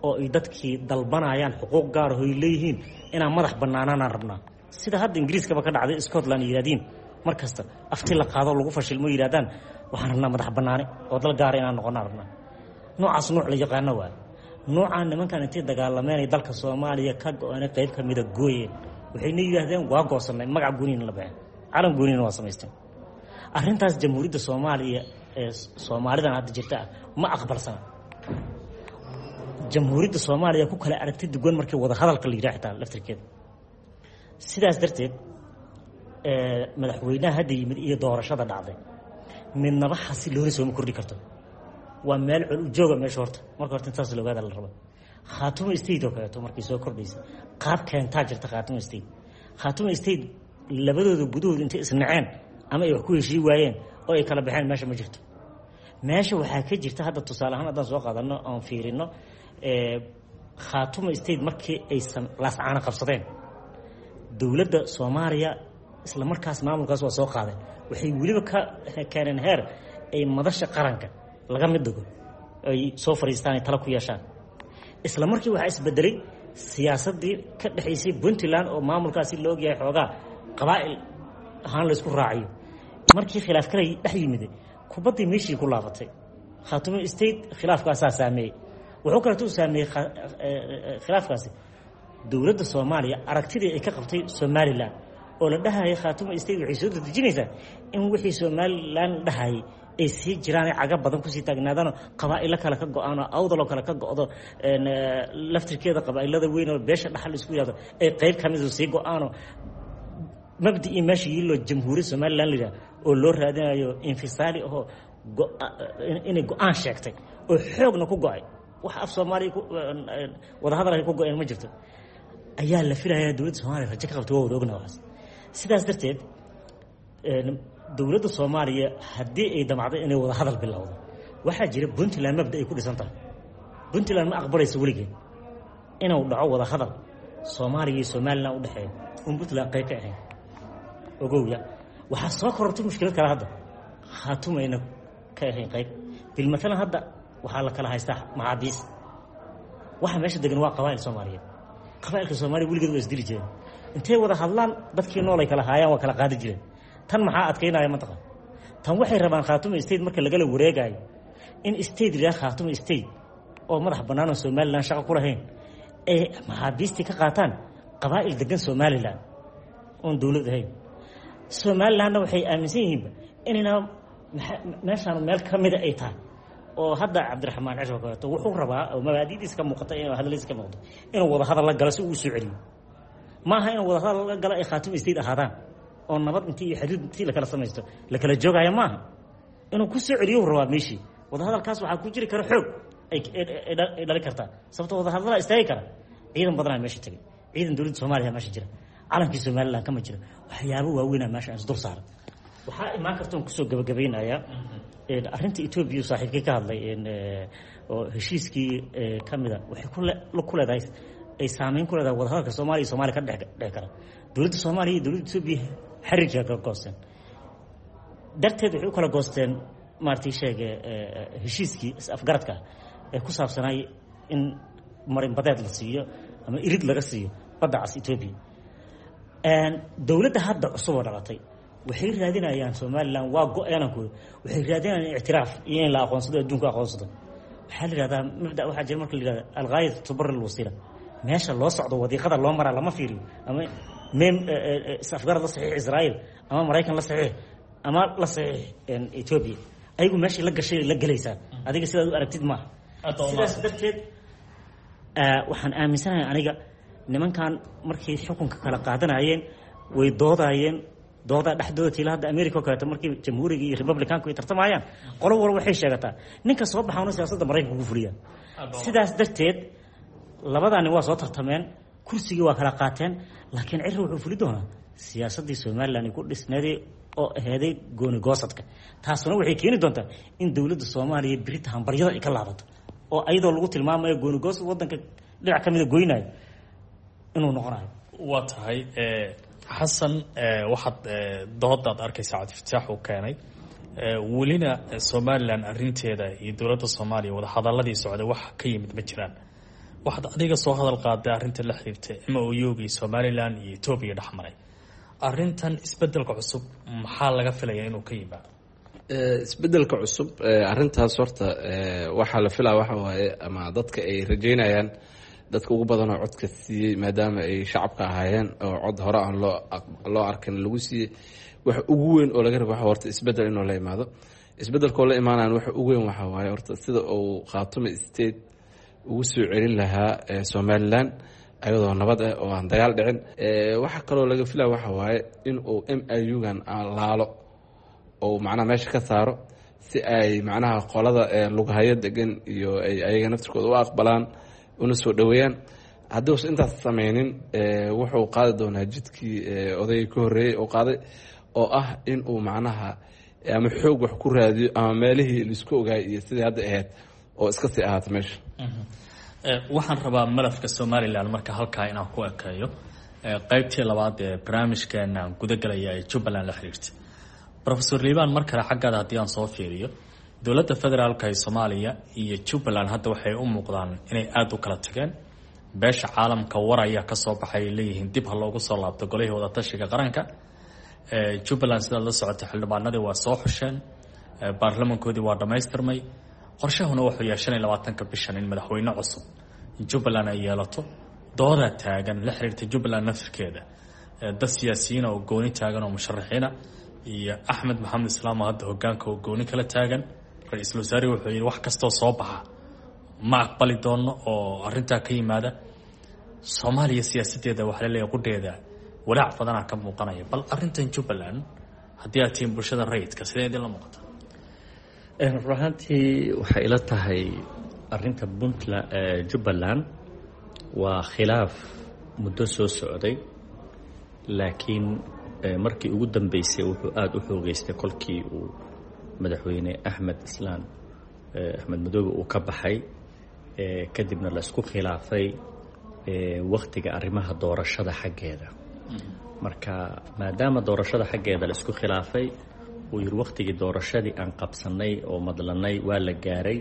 oo ay dadkii dalbanayaan xuquuq gaar ah oo ay leeyihiin inaan madax bannaanaanaan rabnaa, sida hadda Ingiriiskaba ka dhacday Scotland yidhahdiin mar kasta afti la qaado lagu fashilmo, yidhahdaan waxaan rabnaa madax bannaani oo dal gaara inaan noqonaan rabnaa. Noocaas nooc la yaqaano waay. Noocaan nimankan intay dagaalameenay dalka Soomaaliya ka go-aanay qayb ka mida gooyeen, waxayna yidhaahdeen waa goosanay, magac gooniina la baxeen, calan gooniina waa samaysteen. Arrintaas jamhuuriyadda Soomaaliya ee Soomaalidan hadda jirta ah ma aqbalsana. Jamhuuriyadda Soomaaliya ku kala aragti duwan markii wada hadalka la yidhaha xitaa laftirkeeda. Sidaas darteed madaxweynaha hadda yimid iyo doorashada dhacday midnaba xasilooni sooma kordhi karto. Waa meel col ujooga meesha horta marka horta intaas la ogaada la raba. Khaatumo State oo kaleeto markay soo kordhaysa qaab keentaa jirta. Khaatumo State, Khaatumo State labadooda gudahooda intay isnaceen ama ay wax ku heshii waayeen oo ay kala baxeen meesha ma jirto. Meesha waxaa ka jirta hadda tusaale ahaan haddaan soo qaadano oon fiirino Khaatumo State markii ay Laascaano qabsadeen, dowladda Soomaaliya isla markaas maamulkaas waa soo qaadeen. Waxay weliba ka keeneen heer ay madasha qaranka laga mid dhigo, ay soo fariistaan, ay tala ku yeeshaan. Isla markii waxaa isbedelay siyaasaddii ka dhexaysay Puntland oo maamulkaasi la ogyahay xoogaa qabaa'il ahaan laysku raaciyo. Markii khilaaf kale dhex yimid, kubaddii meeshii ku laabatay. Khaatumo State khilaafkaasaa saameeyey. Wuxuu kaleeto u saameeyey khilaafkaasi dowladda Soomaaliya aragtidii ay ka qabtay Somalilan oo la dhahayay Khaatumo State waxay soo dedejinaysaa in wixii Somalilan la dhahayay ay sii jiraan, caga badan kusii taagnaadaanoo qabaa'ilo kale ka go-aan oo awdaloo kale ka go-do, laftirkeeda qabaa'ilada weyn oo beesha dhaxal isku yihahdo ay qeyb ka midu sii go-aanoo mabdicii meesha yiiloo jamhuuriyad Somalilan la yidhaha oo loo raadinayo infisaali ahoo inay go-aan sheegtay oo xoogna ku go-ay, wax af Soomaaliya wadahadal ay ku go-een ma jirto, ayaa la filayaa dowladda Soomaaliya rajo ka qabta. Waa wada ogna waxaas. Sidaas darteed dowladda Soomaaliya haddii ay damacdo inay wada hadal bilowdo, waxaa jira Puntland mabda ay ku dhisan tahay. Puntland ma aqbalayso weligeed inuu dhaco wada hadal Soomaaliya iyo Somalilan u dhexeeyo un Puntland qayb ka ahayn. Ogowya, waxaa soo korortay mushkilad kale hadda, Khaatumo ayna ka ahayn qayb. Bilmatalan hadda waxaa la kala haystaa maxaabiis. Waxa meesha degan waa qabaa'il Soomaaliyeed. Qabaa'ilka Soomaaliya weligeed waa isdili jireen, intay wada hadlaan dadkii nool ay kala haayaan waa kala qaadi jireen. Tan maxaa adkaynaya mantaqa? Tan waxay rabaan Khaatumo State marka lagala wareegayo in state la Khaatumo State oo madax bannaan oo Somaliland shaqo ku lahayn ay maxaabiistii ka qaataan qabaa'il degan Somaliland oon dowlad ahayn. Somalilandna waxay aaminsan yihiinba inayna meeshaan meel ka mida ay tahay oo hadda Cabdiraxmaan Cishoo kaleeto wuxuu rabaa oo mabaadidiisa ka muuqata inuu hadaladiisa ka muuqato inuu wada hadal la galo si uu u soo celiyo. Maaha inuu wada hadal la galo ay Khaatumo State ahaadaan oo nabad intii iyo xiriir intii la kala samaysto la kala joogaya maaha. Inuu ku soo celiyo rabaa meeshii. Wadahadalkaas waxaa ku jiri kara xoog ay ay dhali kartaa, sababtoo wadahadalaa istaagi kara. Ciidan badanaa meesha tegay, ciidan dowladda Soomaaliya meesha jira, calankii Somaliland kama jira, waxyaabo waaweynaa meesha aan isdul saaran. Waxaa imaan karta oon kusoo gabagabaynayaa arrinta Etoobiya saaxiibkii ka hadlay oo heshiiskii ka mida waxay ku ku leedahay ay saameyn ku leedahay wadahadalka Soomaaliya iyo Soomaaliya ka dhex dhex kara. Dowladda Soomaaliya iyo dowladda Etoobiya xiriirka kala goosteen darteed waxay u kala goosteen maaragtay sheege heshiiskii is-afgaradka ee ku saabsanay in marin badeed la siiyo ama irid laga siiyo badda cas Etoobiya. Dowladda hadda cusub oo dhalatay waxay raadinayaan Somaliland waa go-aanan ku waxay raadinayaan ictiraaf iyo in la aqoonsado, adduunka aqoonsado. Waxaa la yidhahdaa mabda waxaa jira marka la yidhahda alghaayatu tubarri alwasiila, meesha loo socdo wadiiqada loo maraa lama fiiriyo, ama mem is-afgarad la saxiix Israa'iil ama Maraykan la saxiix ama la saxiix Etoobiya, ayagu meeshii la gashay la gelaysaa, adiga sidaad u aragtid maaha. Sidaas darteed waxaan aaminsanahay aniga nimankan markay xukunka kala qaadanayeen way doodaayeen, doodaa dhexdooda tiila. Hadda America oo kaleeto markii jamhuuriga iyo republicanku ay tartamayaan, qolo walba waxay sheegataa ninka soo baxaana siyaasadda Maraykanka ku fuliya. Sidaas darteed labadaa nin waa soo tartameen, kursigii waa kala qaateen, laakiin Cirri wuxuu fuli doonaa siyaasaddii Somaliland ay ku dhisneeday oo aheeday gooni goosadka. Taasuna waxay keeni doontaa in dowladda Soomaaliya berita hambaryada ay ka laabato oo ayadoo lagu tilmaamayo gooni goosad waddanka dhinac ka mida goynayo inuu noqonayo. Waa tahay Xasan, waxaad doodaad arkaysaa Cabdifataax uu keenay, welina Somalilan arrinteeda iyo dowladda Soomaaliya wadahadaladii socday wax ka yimid ma jiraan. Waxaad adiga soo hadal qaaday arrinta la xiriirtay M O U-gii Somalilan iyo Etoobiya dhexmaray. Arrintan isbedelka cusub maxaa laga filayaa inuu ka yimaado? Isbedelka cusub arrintaas horta waxaa la filaa waxa waaye ama dadka ay rajeynayaan, dadka ugu badanoo codka siiyey maadaama ay shacabka ahaayeen oo cod hore aan loo loo arkin lagu siiyey, waxa ugu weyn oo laga rabo waxa horta isbedel inuu la imaado. Isbedelkoo la imaanayan waxa ugu weyn waxa waaye horta sida uu Khaatumo State ugu soo celin lahaa Somaliland ayadoo nabad ah oo aan dagaal dhicin. Waxa kaloo laga filaya waxa waaye in uu M I U-gan aan laalo oo macnaha meesha ka saaro si ay macnaha qolada lugahaya degan iyo ay ayaga naftirkooda u aqbalaan una soo dhaweeyaan. Haddii uusan intaas sameynin wuxuu qaadi doonaa jidkii odayga ka horreeyey oo qaaday oo ah in uu macnaha ama xoog wax ku raadiyo ama meelihii laisku ogaay iyo sidii hadda ahayd oo iska sii ahaata meesha. Waxaan rabaa malafka Somalilan marka halkaa inaan ku ekeeyo qeybtii labaad ee barnaamijkeena gudagalaya ee Jubbaland la xiriirta. Professor Liibaan, mar kale xaggaada haddii aan soo fiiriyo, dowladda federaalka ee Soomaaliya iyo Jubbaland hadda waxay u muuqdaan inay aada u kala tageen. Beesha caalamka war ayaa kasoo baxay ay leeyihiin dib ha loogu soo laabto golihii wadatashiga qaranka. Jubbaland sidaad la socotay xildhibaanadii waa soo xusheen, baarlamankoodii waa dhammaystirmay, qorshahuna wuxuu yahay shan iyo labaatanka bishan in madaxweyne cusub Jubbaland ay yeelato. Dooda taagan la xiriirta Jubbaland naftirkeeda, dad siyaasiyiina oo gooni taagan oo musharaxiina iyo Axmed Maxamed Islaam oo hadda hogaanka oo gooni kala taagan. Ra-iisul wasaarihi wuxuu yidhi wax kastoo soo baxa ma aqbali doono oo arrintaa ka yimaada. Soomaaliya siyaasadeeda waxaa laleeyahay qudheeda walaac badanaa ka muuqanaya. Bal arrintan Jubbaland haddii aad tihiin bulshada rayidka, sidee idinla muuqata? Run ahaantii waxay ila tahay arrinta Puntland Jubbaland waa khilaaf muddo soo socday, laakiin markii ugu dambeysay wuxuu aada u xoogeystay kolkii uu madaxweyne Axmed Islaan Axmed Madoobe uu ka baxay, kadibna la isku khilaafay wakhtiga arrimaha doorashada xaggeeda. Marka maadaama doorashada xaggeeda la isku khilaafay, uu yidhi wakhtigii doorashadii aan qabsanay oo madlanay waa la gaaray,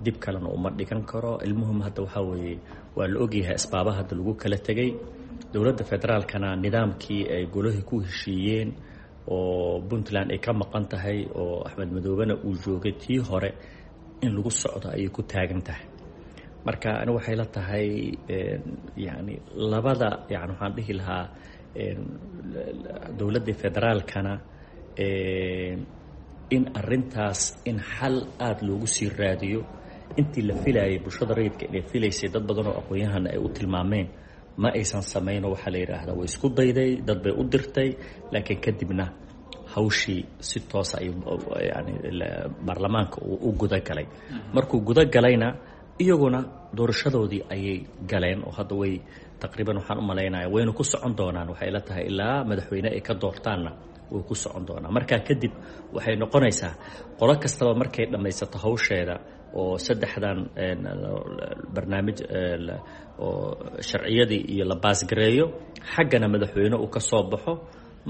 dib kalena uma dhigan karo. Ilmuhum hadda waxaa weeye waa la ogyahay asbaabaha hadda lagu kala tegay. Dowladda federaalkana nidaamkii ay golahii ku heshiiyeen oo Puntland ay ka maqan tahay oo Axmed Madoobena uu joogay tii hore in lagu socdo ayay ku taagan tahay. Marka ani waxay la tahay yani labada, yani waxaan dhihi lahaa dowladda federaalkana in arintaas in xal aada loogu sii raadiyo. Intii la filayay bulshada rayidka inay filaysay, dad badan oo aqoon-yahana ay u tilmaameen ma aysan samaynoo. Waxaa la yidhaahdaa way isku dayday, dad bay u dirtay, laakiin kadibna hawshii si toosa ay yani baarlamaanka uu u gudagalay. Markuu gudagalayna iyaguna doorashadoodii ayay galeen oo hadda way taqriiban waxaan u malaynaya wayna ku socon doonaan. Waxay la tahay ilaa madaxweyne ay ka doortaanna way ku socon doonaan. Markaa kadib waxay noqonaysaa qolo kastaba markay dhammaysato hawsheeda oo saddexdan barnaamij oo sharciyadii iyo la baasgareeyo, xaggana madaxweyne uu ka soo baxo,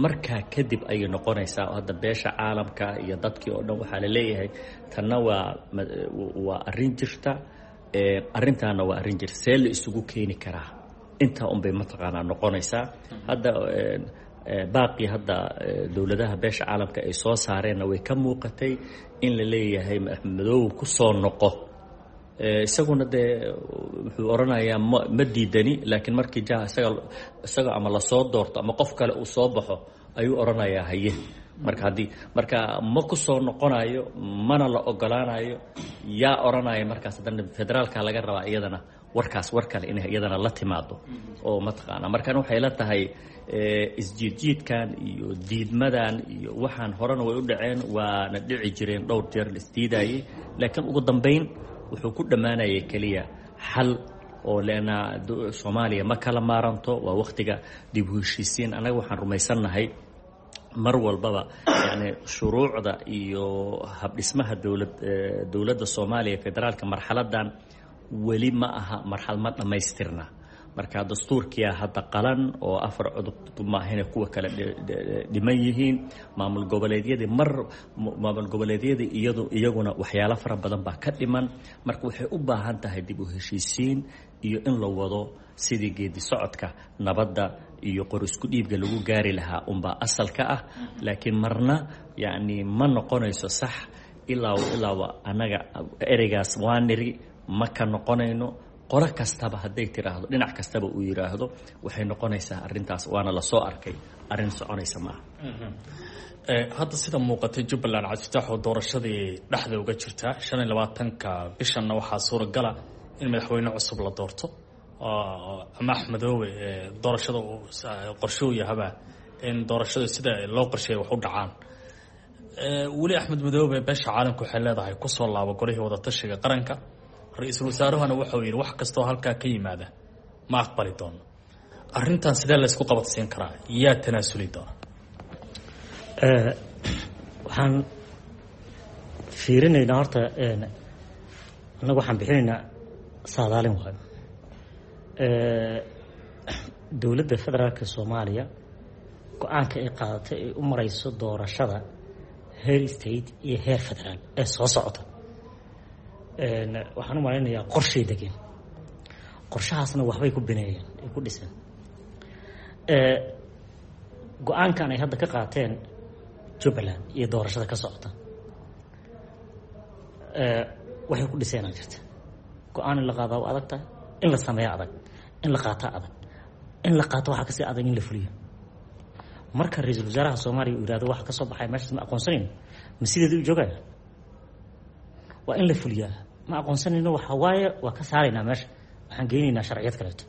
markaa kadib ayay noqonaysaa. Hadda beesha caalamka iyo dadkii oo dhan waxaa la leeyahay tanna waa waa arrin jirta, arrintaana waa arrin jirta, see la isugu keeni karaa? Intaa unbay mataqaanaa noqonaysaa. Hadda baaqii hadda dowladaha beesha caalamka ay soo saareenna way ka muuqatay in la leeyahay Axmed Madoobe ku soo noqo. Isaguna dee wuxuu odhanayaa ma ma diidani, laakiin markii ja isaga isaga ama lasoo doorto ama qof kale uu soo baxo ayuu odhanayaa haye. Marka haddii marka ma ku soo noqonayo mana la ogolaanayo, yaa odhanaya markaas haddana federaalka laga rabaa iyadana warkaas war kale inay iyadana la timaado oo mataqaanaa. Markan waxay la tahay isjiidjiidkan iyo diidmadan iyo waxaan horena way u dhaceen, waana dhici jireen dhowr jeer la isdiidayay, laakiin ugu dambeyn wuxuu ku dhammaanayay keliya xal oo leanna Soomaaliya ma kala maaranto. Waa wakhtiga dib u heshiisiin. Annaga waxaan rumaysannahay mar walbaba yani shuruucda iyo habdhismaha dowlad dowladda Soomaaliya federaalka marxaladan weli ma aha marxalad ma dhammaystirna. Marka dastuurkiia hadda qalan oo afar cudub maahane kuwa kale dhiman yihiin. Maamul goboleedyadii mar maamul goboleedyadii iyadu iyaguna waxyaalo fara badan baa ka dhiman. Marka waxay u baahan tahay dib u heshiisiin iyo in la wado sidii geedi socodka nabadda iyo qor isku dhiibga lagu gaari lahaa unbaa asalka ah. Laakiin marna yacni ma noqonayso sax ilaa ilaaba annaga ereygaas waa niri ma ka noqonayno. Qolo kastaba hadday tiraahdo, dhinac kastaba uu yidhaahdo, waxay noqonaysaa arrintaas waana lasoo arkay arrin soconaysa maaha. Hadda sida muuqatay Jubbaland Cabdifitaax oo doorashadii dhexda uga jirtaa, shan iyo labaatanka bishanna waxaa suuragala in madaxweyne cusub la doorto ama Axmedoobe doorashada qorshuu yahaba in doorashada sida loo qorsheeyay wax u dhacaan. Weli Axmed Madoobe beesha caalamka waxay leedahay kusoo laabo golihii wadatashiga qaranka. Ra-iisul wasaaruhuna wuxuu yidhi wax kastoo halkaa ka yimaada ma aqbali doono. Arrintan sidee laysku qabadsiin karaa? Yaa tanaasuli doona? Waxaan fiirinaynaa horta, annagu waxaan bixinaynaa saadaalin waayo. Dowladda federaalka Soomaaliya go-aanka ay qaadatay ay u mareyso doorashada heer state iyo heer federaal ee soo socota, waxaan u malaynayaa qorshay degeen, qorshahaasna waxbay ku bineeyeen, ay ku dhiseen. Go-aankan ay hadda ka qaateen Jubbaland iyo doorashada ka socota waxay ku dhiseenaa jirta. Go-aan in la qaadaa waa adag tahay, in la sameeya adag, in la qaataa adag, in la qaato waxaa kasii adag in la fuliyo. Marka ra-iisul wasaaraha Soomaaliya uu yihahdo waxa kasoo baxay meeshaas ma aqoonsanayno, ma sideeda u joogaya? Waa in la fuliyaa. Ma aqoonsanayno waxa waaye waa ka saaraynaa meesha, waxaan geynaynaa sharciyad kaleeto,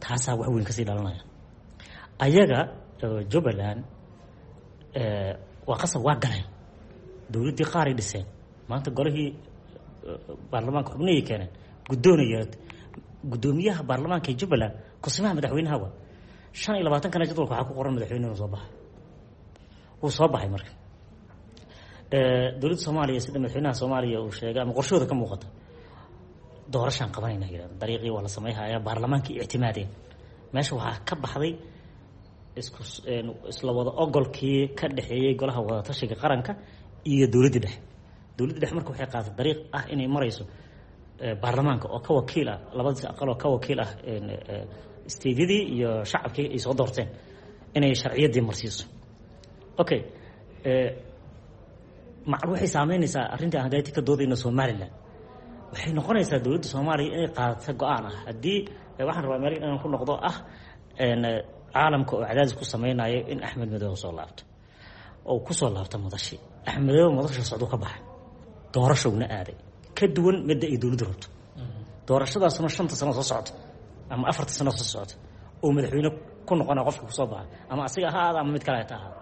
taasaa wax weyn kasii dhalanaya. Ayaga Jubbaland waa qasab, waa galeen dowladdii, qaaray dhiseen, maanta golihii baarlamaanka xubnihii keeneen, guddoonaya guddoomiyaha baarlamaanka ee Jubbaland kusimaha madaxweynaha waa shan iyo labaatankana jadwalka waxaa ku qoran madaxweyne inuu soo baxay, wuu soo baxay. Marka dowladda Soomaaliya sida madaxweynaha Soomaaliya uu sheegay ama qorshahooda ka muuqata, doorashaan qabanayna yidhahda, dariiqii waa la samayhayaa, baarlamaankii ictimaadeen. Meesha waxaa ka baxday isku isla wada ogolkii ka dhexeeyey golaha wadatashiga qaranka iyo dowladdii dhexe. Dowladda dhexe marka waxay qaadatay dariiq ah inay marayso baarlamaanka oo ka wakiil ah labadiis aqal oo ka wakiil ah steedyadii iyo shacabkii ay soo doorteen inay sharciyaddii marsiiso. Okay, macal waxay saameynaysaa arrintii aan hadayti ka doodayno Somaliland. Waxay noqonaysaa dowladda Soomaaliya inay qaadato go-aan ah, haddii waxaan rabaa meel inaan ku noqdo ah caalamka oo cadaadis ku sameynayo in Axmed Madoobe soo laabto oo kusoo laabto madashi. Axmed Madoobe madasha socduu ka baxay, doorashowna aaday ka duwan midda ay dowladdu rabto. Doorashadaasuna shanta sano soo socota ama afarta sano soo socota oo madaxweyne ku noqona qofka kusoo baxa, ama asiga ha ahaada ama mid kale ha ahaada,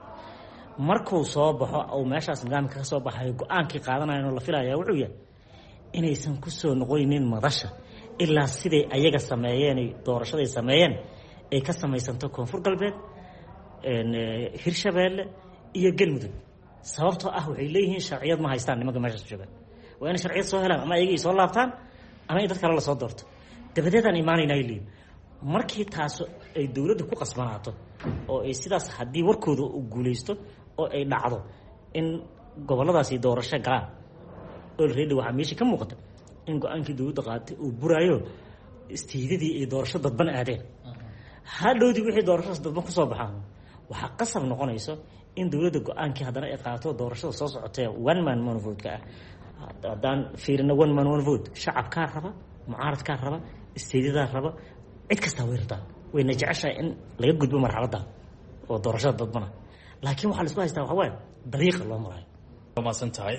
markuu soo baxo oo meeshaas nidaamka ka soo baxayo, go-aankii qaadanayan oo la filaya wuxuu yahay inaysan kusoo noqonaynin madasha ilaa siday ayaga sameeyeen, doorashaday sameeyeen ay ka samaysanto Koonfur Galbeed, Hirshabeelle iyo Galmudug. Sababtoo ah waxay leeyihiin sharciyad ma haystaan nimanka meeshaas joogaan, waa inay sharciyad soo helaan ama ayaga ay soo laabtaan ama in dad kale lasoo doorto, dabadeedaan imaanayna ay leeyihin. Markii taas ay dowladda ku qasbanaato oo ay sidaas haddii warkooda u guuleysto oo ay dhacdo in gobolladaasi doorasho galaan, already waxaa meesha ka muuqata in go-aankii dowladda qaadatay uu buraayo, istiidadii ay doorasho dadban aadeen. Hadhowdii wixii doorashadaas dadban kusoo baxaan waxaa qasab noqonayso in dowladda go-aankii haddana ay qaato doorashada soo socotee one man one vote-ka ah. Haddaan fiirino one man one vote, shacabkaa raba, mucaaradkaa raba, isteedyadaa raba, cid kastaa way rabtaa, wayna jeceshahay in laga gudbo marxaladda oo doorashada dadbana, laakiin waxaa la isku haystaa waxaa waaye dariiqa loo marayo. Maasan tahay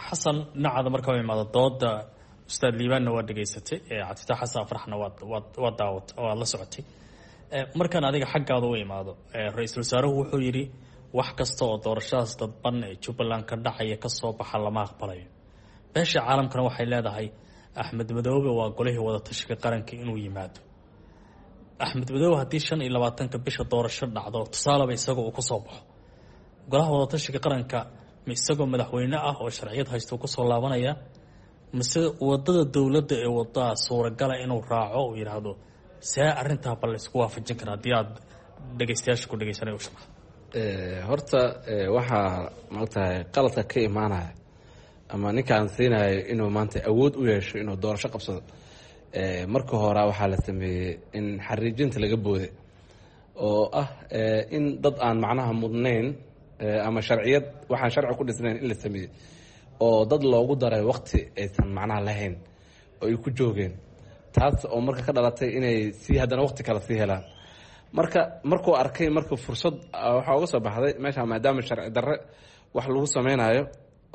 Xasan. Dhinacaada marka u imaado dooda ustaad Liibaanna waa dhegaysatay, Cabdifatax Xasan Afraxna waad waad waad daawat waad la socotay. Markaan adiga xaggaada u imaado, ra-iisul wasaaruhu wuxuu yidhi wax kasta oo doorashadaas dadban ee Jubbaland ka dhacaya kasoo baxa lama aqbalayo. Beesha caalamkana waxay leedahay Axmed Madoobe waa golihii wadatashiga qaranka inuu yimaado. Axmed Madoobe haddii shan iyo labaatanka bisha doorasho dhacdo, tusaaleba isagoo uu kusoo baxo golaha wadatashiga qaranka, ma isagoo madaxweyne ah oo sharciyad haysto kusoo laabanaya, mise wadada dowladda ee wadaa suuragala inuu raaco uu yidhaahdo? See arrintaa bal la isku waafajin karaa haddii aad dhegeystayaasha ku dhegeysanay u sharaxdo? Horta waxaa maogtahay qaladka ka imaanaya ama ninkaan siinayo inuu maanta awood u yeesho inuu doorasho qabsado, marka hore waxaa la sameeyey in xariijinta laga booday oo ah in dad aan macnaha mudnayn ama sharciyad waxaan sharci ku dhisnayn in la sameeyey oo dad loogu daray waqti aysan macnaha lahayn oo ay ku joogeen, taas oo marka ka dhalatay inay sii haddana waqti kale sii helaan. Marka markuu arkay marka fursad waxaa uga soo baxday meesha, maadaama sharci darre wax lagu sameynayo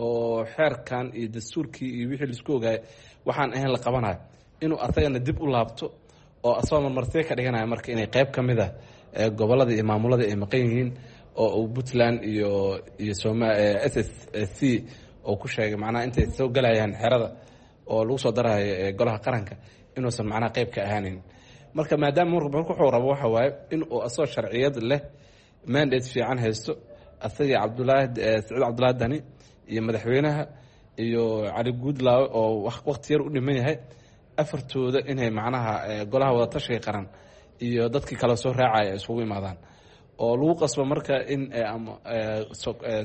oo xeerkan iyo dastuurkii iyo wixii laisku ogaayay waxaan ahayn la qabanayo, inuu asagana dib u laabto oo asagoo marmarsiya ka dhiganayo marka inay qeyb ka mid ah gobolada iyo maamulada ay maqan yihiin oo uu Puntland iyo iyo soma S S C oo ku sheegay macnaha intay soo galayaan xerada oo lagu soo darayo golaha qaranka inuusan macnaha qeyb ka ahaaneyn. Marka maadaama marka wuxuu rabo waxa waaye in uu asagoo sharciyad leh mandate fiican haysto, asagii Cabdulaahi Saciid Cabdulaahi Dani iyo madaxweynaha iyo Cali Guudlaawe oo waqti yar u dhiman yahay, afartooda inay macnaha golaha wadatashiga qaran iyo dadkii kale soo raacaya ay isugu imaadaan oo lagu qasbo marka in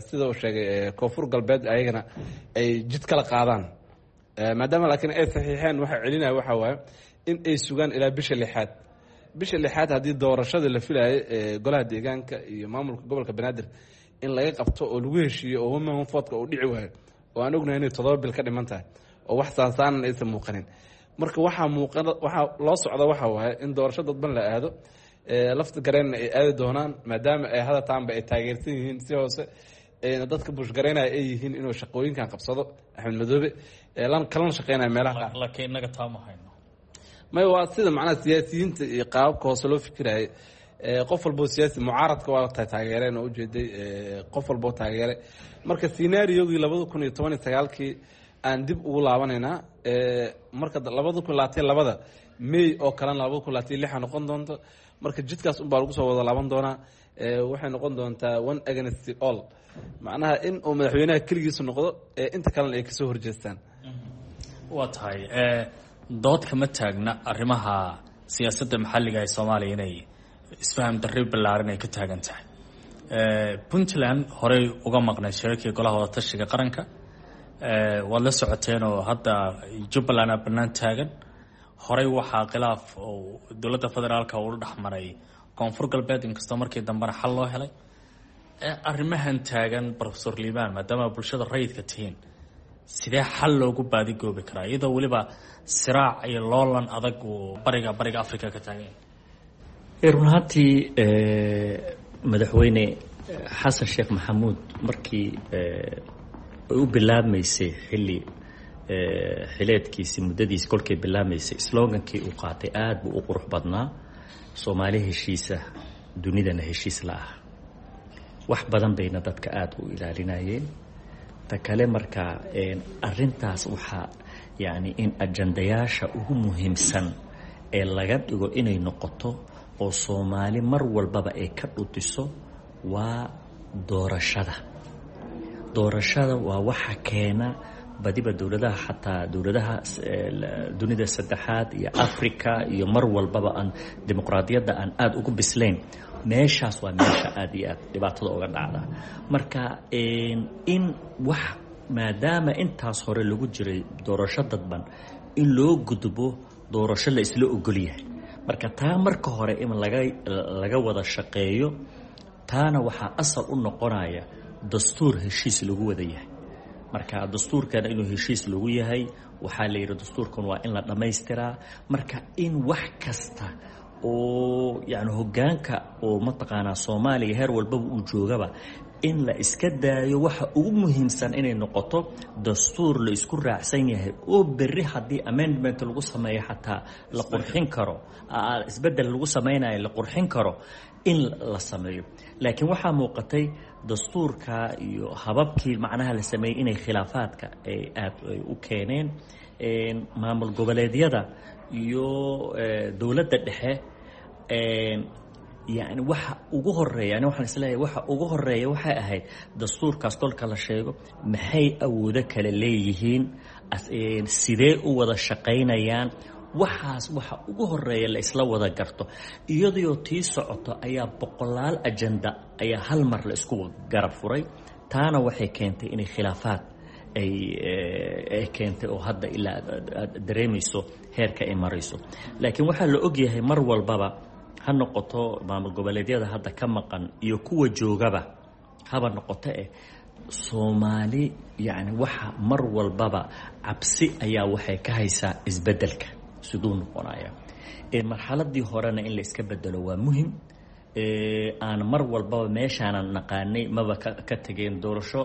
sida uu sheegay Koonfur Galbeed ayagana ay jid kala qaadaan, maadaama laakiin ay saxiixeen. Waxa celinaya waxaa waaye in ay sugaan ilaa bisha lixaad. Bisha lixaad haddii doorashada la filayay ee golaha deegaanka iyo maamulka gobolka Banaadir in laga qabto oo lagu heshiiyo oo women vote-ka uu dhici waayo, oo aan ognahay inay toddoba bil ka dhiman tahay oo wax saansaanan aysan muuqanin, marka waxaa muuqan waxaa loo socda waxa waaye in doorasho dadban la aado. Lafta gareenna ay aadi doonaan, maadaama ay hadataanba ay taageersan yihiin si hoose ayna dadka bushgaraynaya ay yihiin inuu shaqooyinkan qabsado Axmed Madoobe kalana shaqeynaya meelaha qaar. Laakiin innaga taa ma hayno. May, waa sida macnaha siyaasiyiinta iyo qaababka hoose loo fikirayay. Qof walboo siyaasi mucaaradka waa ta taageereen oo ujeeday, qof walboo taageeray. Marka scenario-gii labada kun iyo toban iyo sagaalkii aan dib ugu laabanaynaa. Marka labada kun labaatan labada May oo kalena labada kun labaatan lixa noqon doonto. Marka jidkaas unbaa lagu soo wada laaban doonaa. Waxay noqon doontaa one against all, macnaha in uu madaxweynaha keligiisu noqdo, inta kalena ay kasoo horjeestaan. Waa tahay, dood kama taagna arrimaha siyaasadda maxalliga ee Soomaaliya inay isfaham darri ballaaran ay ka taagan tahay. Puntland horey uga maqnay shirarkii golaha wadatashiga qaranka, waad la socoteen, oo hadda Jubbaland aa bannaan taagan. Horey waxaa khilaaf oo dowladda federaalka ula dhexmaray Koonfur Galbeed, inkastoo markii dambena xal loo helay. Arrimahan taagan, Professor Liibaan, maadaama bulshada rayidka tihiin, sidee xal loogu baadigoobi karaa iyadoo weliba siraac iyo loolan adag uu bariga bariga Africa ka taagan? Run ahaantii, madaxweyne Xasan Sheekh Maxamuud markii ay u bilaabmaysay xilli xileedkiisi, muddadiisi kolkay bilaabmaysay, slogankii uu qaatay aada buu u qurux badnaa: Soomaali heshiisa, dunidana heshiis la ah. Wax badan bayna dadka aada u ilaalinayeen. Ta kale, marka arintaas waxaa yacni in ajandayaasha ugu muhiimsan ee laga dhigo inay noqoto oo Soomaali mar walbaba ay ka dhutiso waa doorashada. Doorashada waa waxa keena badiba dowladaha, xataa dowladaha dunida saddexaad iyo Africa iyo mar walbaba aan dimuqraadiyadda aan aada ugu bislayn. Meeshaas waa meesha aada iyo aad dhibaatada uga dhacda. Marka in wax maadaama intaas hore lagu jiray doorasho dadban, in loo gudbo doorasho la isla ogol yahay. Marka taa marka hore in laga laga wada shaqeeyo, taana waxaa asal u noqonaya dastuur heshiis lagu wada yahay. Marka dastuurkana inuu heshiis lagu yahay, waxaa la yidhi dastuurkan waa in la dhammaystiraa. Marka in wax kasta oo yani hoggaanka oo mataqaanaa Soomaaliya heer walbaba uu joogaba in la iska daayo, waxa ugu muhiimsan inay noqoto dastuur la isku raacsan yahay oo berri haddii amendment lagu sameeyo xataa la qurxin karo, isbeddel lagu sameynayo la qurxin karo in la sameeyo. Laakiin waxaa muuqatay dastuurka iyo hababkii macnaha la sameeyey inay khilaafaadka ay aada ay u keeneen maamul goboleedyada iyo dowladda dhexe. Yani waxa ugu horeeya, ani waxaan isleeyahay waxa ugu horeeya waxay ahayd dastuurkaas kolka la sheego, maxay awoodo kale leeyihiin, sidee u wada shaqaynayaan, waxaas waxa ugu horeeya la isla wada garto. Iyadoo tii socoto ayaa boqolaal ajenda ayaa hal mar la isku garab furay. Taana waxay keentay inay khilaafaad ay ay keentay oo hadda ilaa aad dareemayso heerka ay marayso. Laakiin waxaa la ogyahay mar walbaba, ha noqoto maamul goboleedyada hadda ka maqan iyo kuwa joogaba haba noqoto eh, Soomaali yacni waxa mar walbaba cabsi ayaa waxay ka haysaa isbeddelka siduu noqonaya. Marxaladii horena in la iska bedelo waa muhim. Aan mar walbaba meeshaanan naqaanay maba ka tegeen, doorasho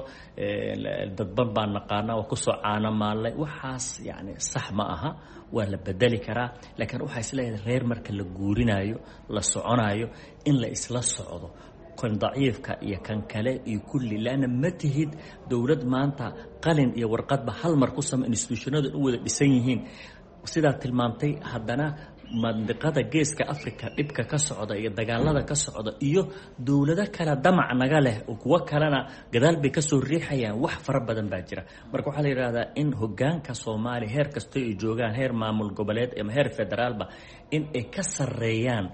dadban baan naqaanaa oo kusoo caano maallay, waxaas yani sax ma aha, waa la bedeli karaa. Laakiin waxaa isleeyahay reer marka la guurinayo, la soconayo, in la isla socdo kan daciifka iyo kan kale iyo kulli, laanna ma tihid dowlad maanta qalin iyo warqadba hal mar ku sama institutionada u wada dhisan yihiin sidaa tilmaamtay. Haddana Mandiqada Geeska Africa dhibka ka socda iyo dagaalada ka socda iyo dowlado kale damac naga leh oo kuwo kalena gadaal bay kasoo riixayaan, wax fara badan baa jira. Marka waxaa la yidhahdaa in hogaanka Soomaaliya heer kasta ay joogaan, heer maamul goboleed ama heer federaalba, in ay ka sarreeyaan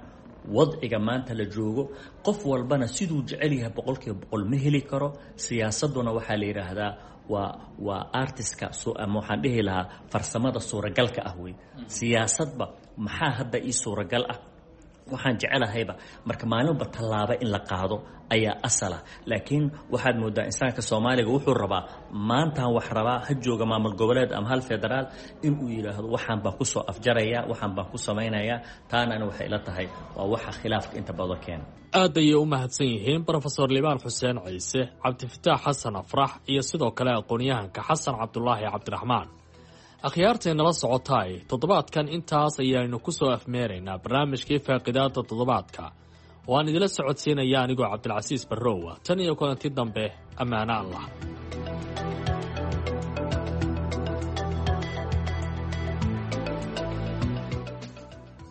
wadciga maanta la joogo. Qof walbana siduu jecel yahay boqolkiiba boqol ma heli karo. Siyaasaduna waxaa la yidhaahdaa waa waa artiska, ama waxaan dhihi lahaa farsamada suuragalka ah wey. Siyaasadba maxaa hadda ii suuragal ah, waxaan jecelahayba, marka maalinba tallaabo in la qaado ayaa asala. Laakiin waxaad moodaa insaanka Soomaaliga wuxuu rabaa maantaan wax rabaa, ha jooga maamul goboleed ama hal federaal, inuu yidhaahdo waxaan baan kusoo afjaraya, waxaan baan ku samaynayaa. Taanana waxay ila tahay waa waxa khilaafka inta badan keena. Aad ayay u mahadsan yihiin Brofesor Liibaan Xuseen Ciise, Cabdifataax Xasan Afrax iyo sidoo kale aqoon-yahanka Xasan Cabdulaahi Cabdiraxmaan. Akhyaartay nala socotaay, toddobaadkan intaas ayaaynu ku soo afmeeraynaa barnaamijkii faaqidaada toddobaadka oo aan idila socodsiinaya anigoo Cabdilcasiis Barrowa. Tan iyo kulanti dambe, ammaano Allah.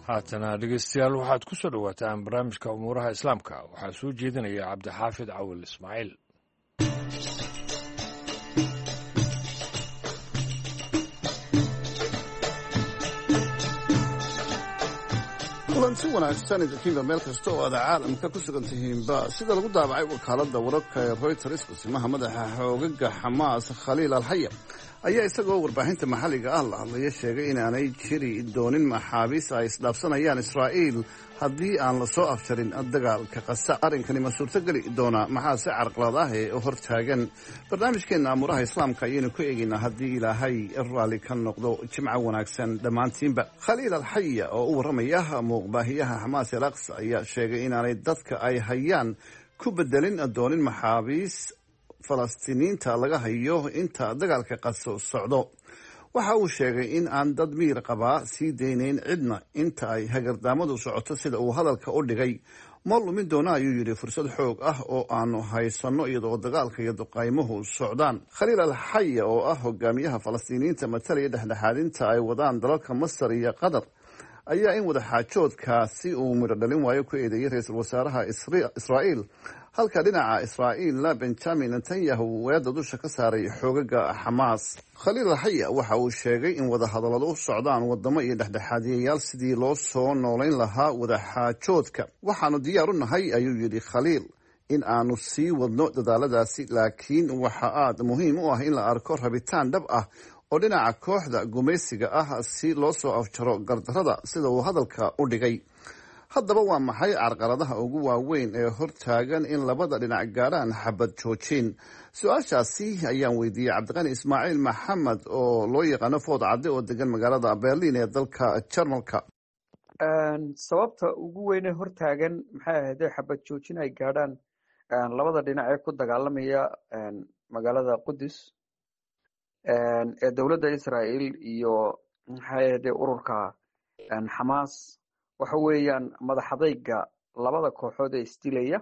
Haatana dhegeystayaal, waxaad ku soo dhowaataan barnaamijka umuuraha Islaamka. Waxaa soo jeedinaya Cabdixaafid Cawil Ismaaciil. Kulanti wanaagsan idinkiinba meel kasta oo aad caalamka ku sugan tihiinba. Sida lagu daabacay wakaaladda wararka ee Reuters, kusimaha madaxa xoogaga Xamaas Khaliil Alxaya ayaa isagoo warbaahinta maxalliga ah la hadlaya sheegay inaanay jiri doonin maxaabiis ay isdhaafsanayaan Israa'iil haddii aan la soo afjarin dagaalka Qasa. Arrinkani ma suurtogeli doonaa? Maxaase carqalad ah ee hortaagan? Barnaamijkeenna amuuraha Islaamka ayaynu ku eegaynaa haddii Ilaahay raalli ka noqdo. Jimco wanaagsan dhammaantiinba. Khaliil Alxaya oo u warramaya muuqbaahiyaha Xamaas el Aqsa ayaa sheegay inaanay dadka ay hayaan ku bedelin doonin maxaabiis Falastiiniinta laga hayo inta dagaalka Qaso socdo. Waxa uu sheegay in aan dad miir qabaa sii daynayn cidna inta ay hagardaamadu socoto, sida uu hadalka u dhigay. Ma lumin doona, ayuu yidhi, fursad xoog ah oo aanu haysanno iyadoo dagaalka iyo duqaymuhu socdaan. Khaliil Alxaya oo ah hogaamiyaha Falastiiniyiinta matalaya dhexdhexaadinta ay wadaan dalalka Masar iyo Qatar ayaa in wadaxaajoodkaasi uu midho dhalin waayo ku eedeeyey ra-iisul wasaaraha Israa'iil, halka dhinaca Israa'iilna Benjamin Netanyahu weedda dusha ka saaray xoogaga Xamaas. Khaliil Alxaya waxa uu sheegay in wadahadalladu u socdaan wadamo iyo dhexdhexaadiyayaal sidii loo soo noolayn lahaa wadaxaajoodka. Waxaanu diyaar u nahay, ayuu yidhi Khaliil, in aanu sii wadno dadaaladaasi, laakiin waxa aad muhiim u ah in la arko rabitaan dhab ah oo dhinaca kooxda gumaysiga ah si loo soo afjaro gardarada, sida uu hadalka u dhigay. Haddaba waa maxay carqaladaha ugu waaweyn ee hortaagan in labada dhinac gaadhaan xabad joojin? Su-aashaasi ayaan weydiiyey Cabdiqani Ismaaciil Maxamed oo loo yaqaano Food Cadde oo degan magaalada Berlin ee dalka Jarmalka. Sababta ugu weyn ee hortaagan maxay ahaydee xabad joojin ay gaadhaan labada dhinac ee ku dagaalamaya magaalada Qudus ee dowladda Israel iyo maxay ahaydee ururka Xamaas waxa weeyaan madaxadayga labada kooxood ee isdilaya.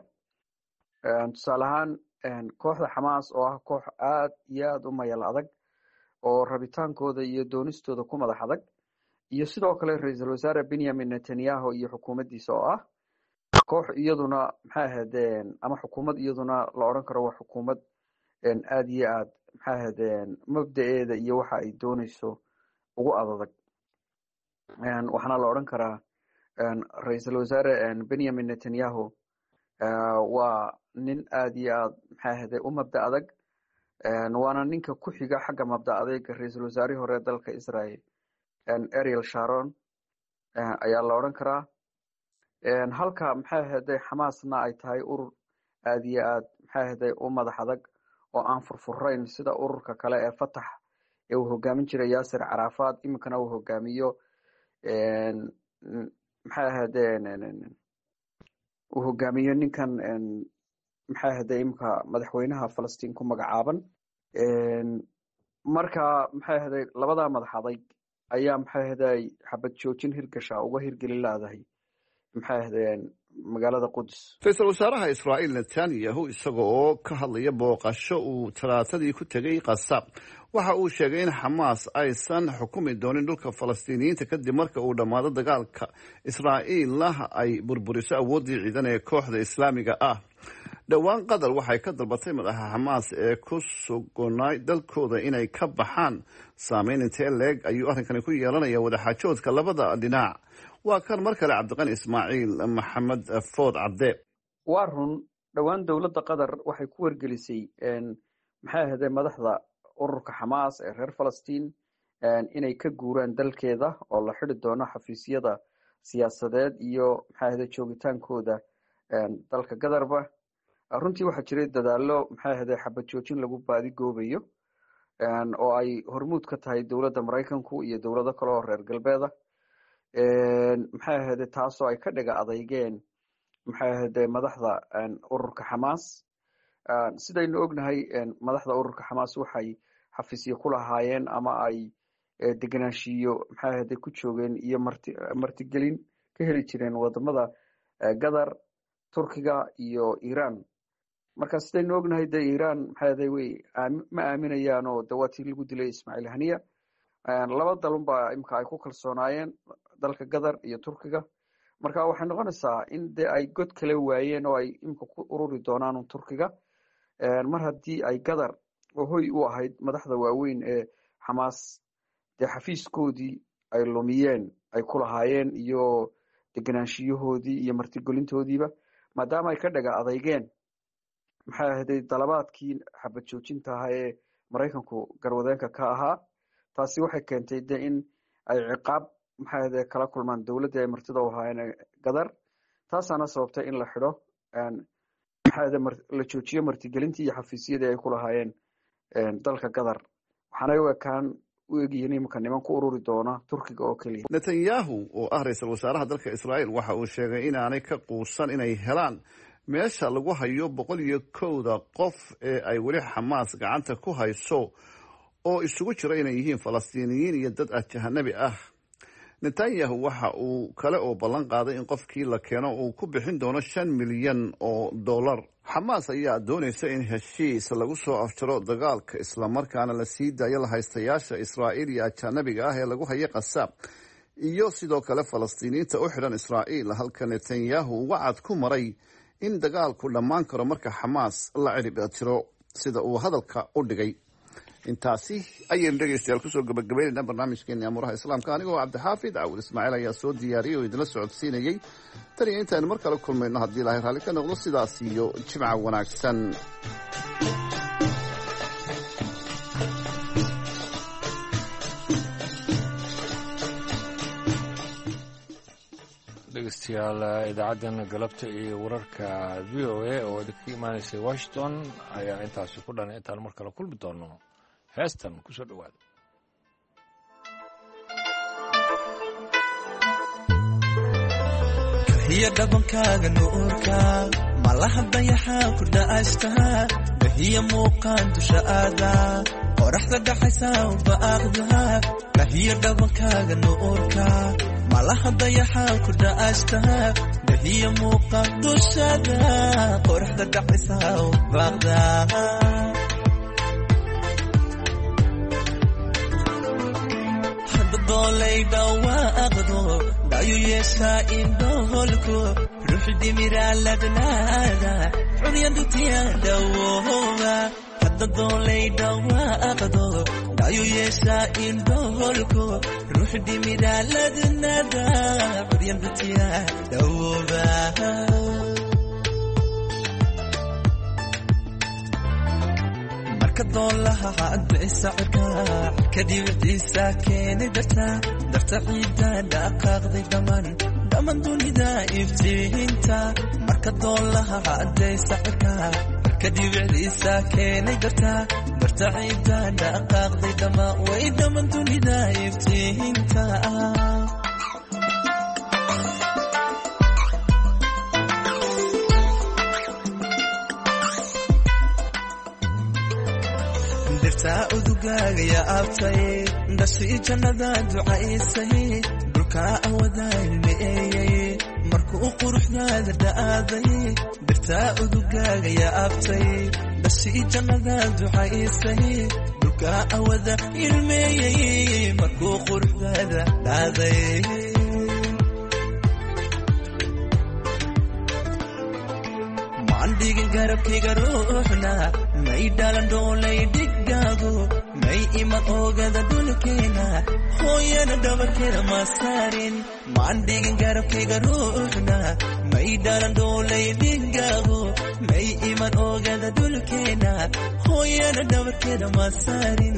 Tusaale ahaan, kooxda Xamaas oo ah koox aad iyo aad u mayal adag oo rabitaankooda iyo doonistooda ku madax adag, iyo sidoo kale ra-iisul wasaare Benjamin Netanyahu iyo xukuumaddiisa oo ah koox iyaduna maxay ahaydeen ama xukuumad iyaduna la odhan karo waa xukuumad aad iyo aad maxay ahaydeen mabda'eeda iyo waxa ay dooneyso ugu adadag. Waxaana la odhan karaa ra-iisul wasaare Benjamin Netanyahu waa nin aad iyo aad maxay ahayde u mabda adag, waana ninka ku xiga xagga mabda adeyga ra-iisul wasaarihii hore dalka Israel Ariel Sharon ayaa la odhan karaa. Halka maxay ahayde Xamaasna ay tahay urur aad iyo aad maxay ahayde u madax adag oo aan furfurayn sida ururka kale ee Fatax ee uu hogaamin jiray Yaasir Carafaad, iminkana uu hogaamiyo maxay ahaydeen uu hogaamiyo ninkan maxay ahayde iminka madaxweynaha Falastiin ku magacaaban. Marka maxay ahayde labadaa madax adag ayaa maxay ahayde xabad joojin hirgasha uga hirgelin laadahay maxay ahaydeen magaalada Qudus. Ra-iisul wasaaraha Israa'iil Netanyahu isaga oo ka hadlaya booqasho uu talaatadii ku tegay Qasa Waxa uu sheegay in Xamaas aysan xukumi doonin dhulka Falastiiniyiinta kadib marka uu dhammaado dagaalka, Israa'iilna ay burburiso awooddii ciidan ee kooxda Islaamiga ah. Dhowaan Qatar waxay ka dalbatay madaxa Xamaas ee ku sugnay dalkooda inay ka baxaan. Saameyn intee leeg ayuu arrinkani ku yeelanaya wadaxaajoodka labada dhinac? Waa kan mar kale Cabdiqani Ismaaciil Maxamed Food Cabde. Waa run, dhowaan dowladda Qatar waxay ku wargelisay, maxay ahaydee, madaxda ururka Xamaas ee reer Falastiin inay ka guuraan dalkeeda oo la xidi doono xafiisyada siyaasadeed iyo, maxay ahde, joogitaankooda dalka Qatarba. Runtii waxaa jiray dadaalo, maxay ahde, xabad joojin lagu baadigoobayo oo ay hormuud ka tahay dowladda Maraykanku iyo dowlado kale oo reer galbeeda, maxay ahde, taasoo ay ka dhiga adeygeen, maxay ahde, madaxda ururka Xamaas. Sidaynu ognahay, madaxda ururka Xamaas waxay xafiisyo ku lahaayeen ama ay degenaanshiyo, maxay ahde, ku joogeen iyo marti martigelin ka heli jireen wadamada Qatar, Turkiga iyo Iran. Marka sidaynu ognahay, de Iran, maxay ahde, way ma aaminayaan oo de waa tii lagu dilay Ismaaciil Haniya. Laba dalun baa imika ay ku kalsoonaayeen, dalka Qatar iyo Turkiga. Marka waxay noqonaysaa in de ay god kale waayeen oo ay imika ku ururi doonaan Turkiga, mar haddii ay Qatar oo hoy u ahayd madaxda waaweyn ee Xamaas dee xafiiskoodii ay lumiyeen ay ku lahaayeen iyo degenaanshiyahoodii iyo martigelintoodiiba, maadaama ay ka dhaga adeygeen, maxay ahday, dalabaadkii xabad joojinta ahaa ee Maraykanku garwadeenka ka ahaa. Taasi waxay keentay de in ay ciqaab, maxay ahde, kala kulmaan dowladdii ay martida u ahaayeen, Qatar. Taasaana sababtay in la xidho, maxay ahde, la joojiyo martigelintii iyo xafiisyadii ay ku lahaayeen dalka Qatar. Waxaanay u ekaan u egyihiin imika niman ku ururi doona Turkiga oo keliya. Netanyahu oo ah ra-iisul wasaaraha dalka Israa'iil waxa uu sheegay inaanay ka quusan inay helaan meesha lagu hayo boqol iyo kowda qof ee ay weli Xamaas gacanta ku hayso, oo isugu jira inay yihiin Falastiiniyiin iyo dad ajanabi ah. Netanyahu waxa uu kale oo ballan qaaday in qofkii la keeno uu ku bixin doono shan milyan oo dollar. Xamaas ayaa doonaysa in heshiis lagu soo afjaro dagaalka, islamarkaana la sii daayo lahaystayaasha Israa'iil iyo ajanabiga ah ee lagu hayo Qasaab, iyo sidoo kale Falastiiniyiinta u xidhan Israa'iil, halka Netanyahu wacad ku maray in dagaalku dhammaan karo marka Xamaas la cirib tiro, sida uu hadalka u dhigay. Intaasi ayaynu dhegeystayaal kusoo gabagabeynayna barnaamijkeeni Amuuraha Islaamka. Anigoo Cabdixaafid Cawil Ismaaciil ayaa soo diyaariyey oo idinla socodsiinayey. Tan iyo intaaynu mar kale kulmayno, haddii Ilaahay raalli ka noqdo, sidaas iyo jimca wanaagsan. Dhegeystayaal, idaacaddan galabta iyo wararka V O A oo idinkaga imaanaysay Washington ayaa intaasi ku dhan. Intaan mar kale kulmi doono, heestan kusoo dhowaada. Kahiya dhabankaaga nuurka malaha dayaxa ku dha'ashta, bahiya muuqaan dusha aada qoraxda dhaxaysa baaqda. Kahiya dhabankaaga nuurka malaha dayaxa ku dha'ashta, bahiya muuqaan dushada qoraxda dhaxaysa baaqda. Doolay dhawaaqdo dhayu yeeshaa indhoholku ruux dhimiraa ladnaada curyandutiya dhawooba. Hadda doolay dhawaaqdo dhayu yeeshaa indhoholku ruux dhimiraa ladnaada curyandutiya dhawooba. Marka doolaha cadbaysa cirka cirka dhibiciisa keenay darta darta ciidda dhaqaaqday dhammaan dhammaan dunida iftiinta. Marka doolaha cadaysa cirka cirka dhibiciisa keenay darta darta ciidda dhaqaaqday dhammaan way dhammaan dunida iftiinta. Dirtaa udugaaga abtay dhashii jannada ducaysay dhulkaa awada ilmeeyey markuu quruxdaada dhaaday. Dirtaa udugaaga abtay dhashii jannada ducaysay. Nuurka awada ilmeeyey markuu quruxdaada dhaaday. Maandhigin garabkayga ruuxna may dhalan dhoolay dhigaagu, may iman oogada dhulkeena, hooyana dhabarkeeda ma saarin. Maandhigin garabkayga ruuxna may dhalan dhoolay dhigaagu, may iman oogada dhulkeena, hooyana dhabarkeeda ma saarin.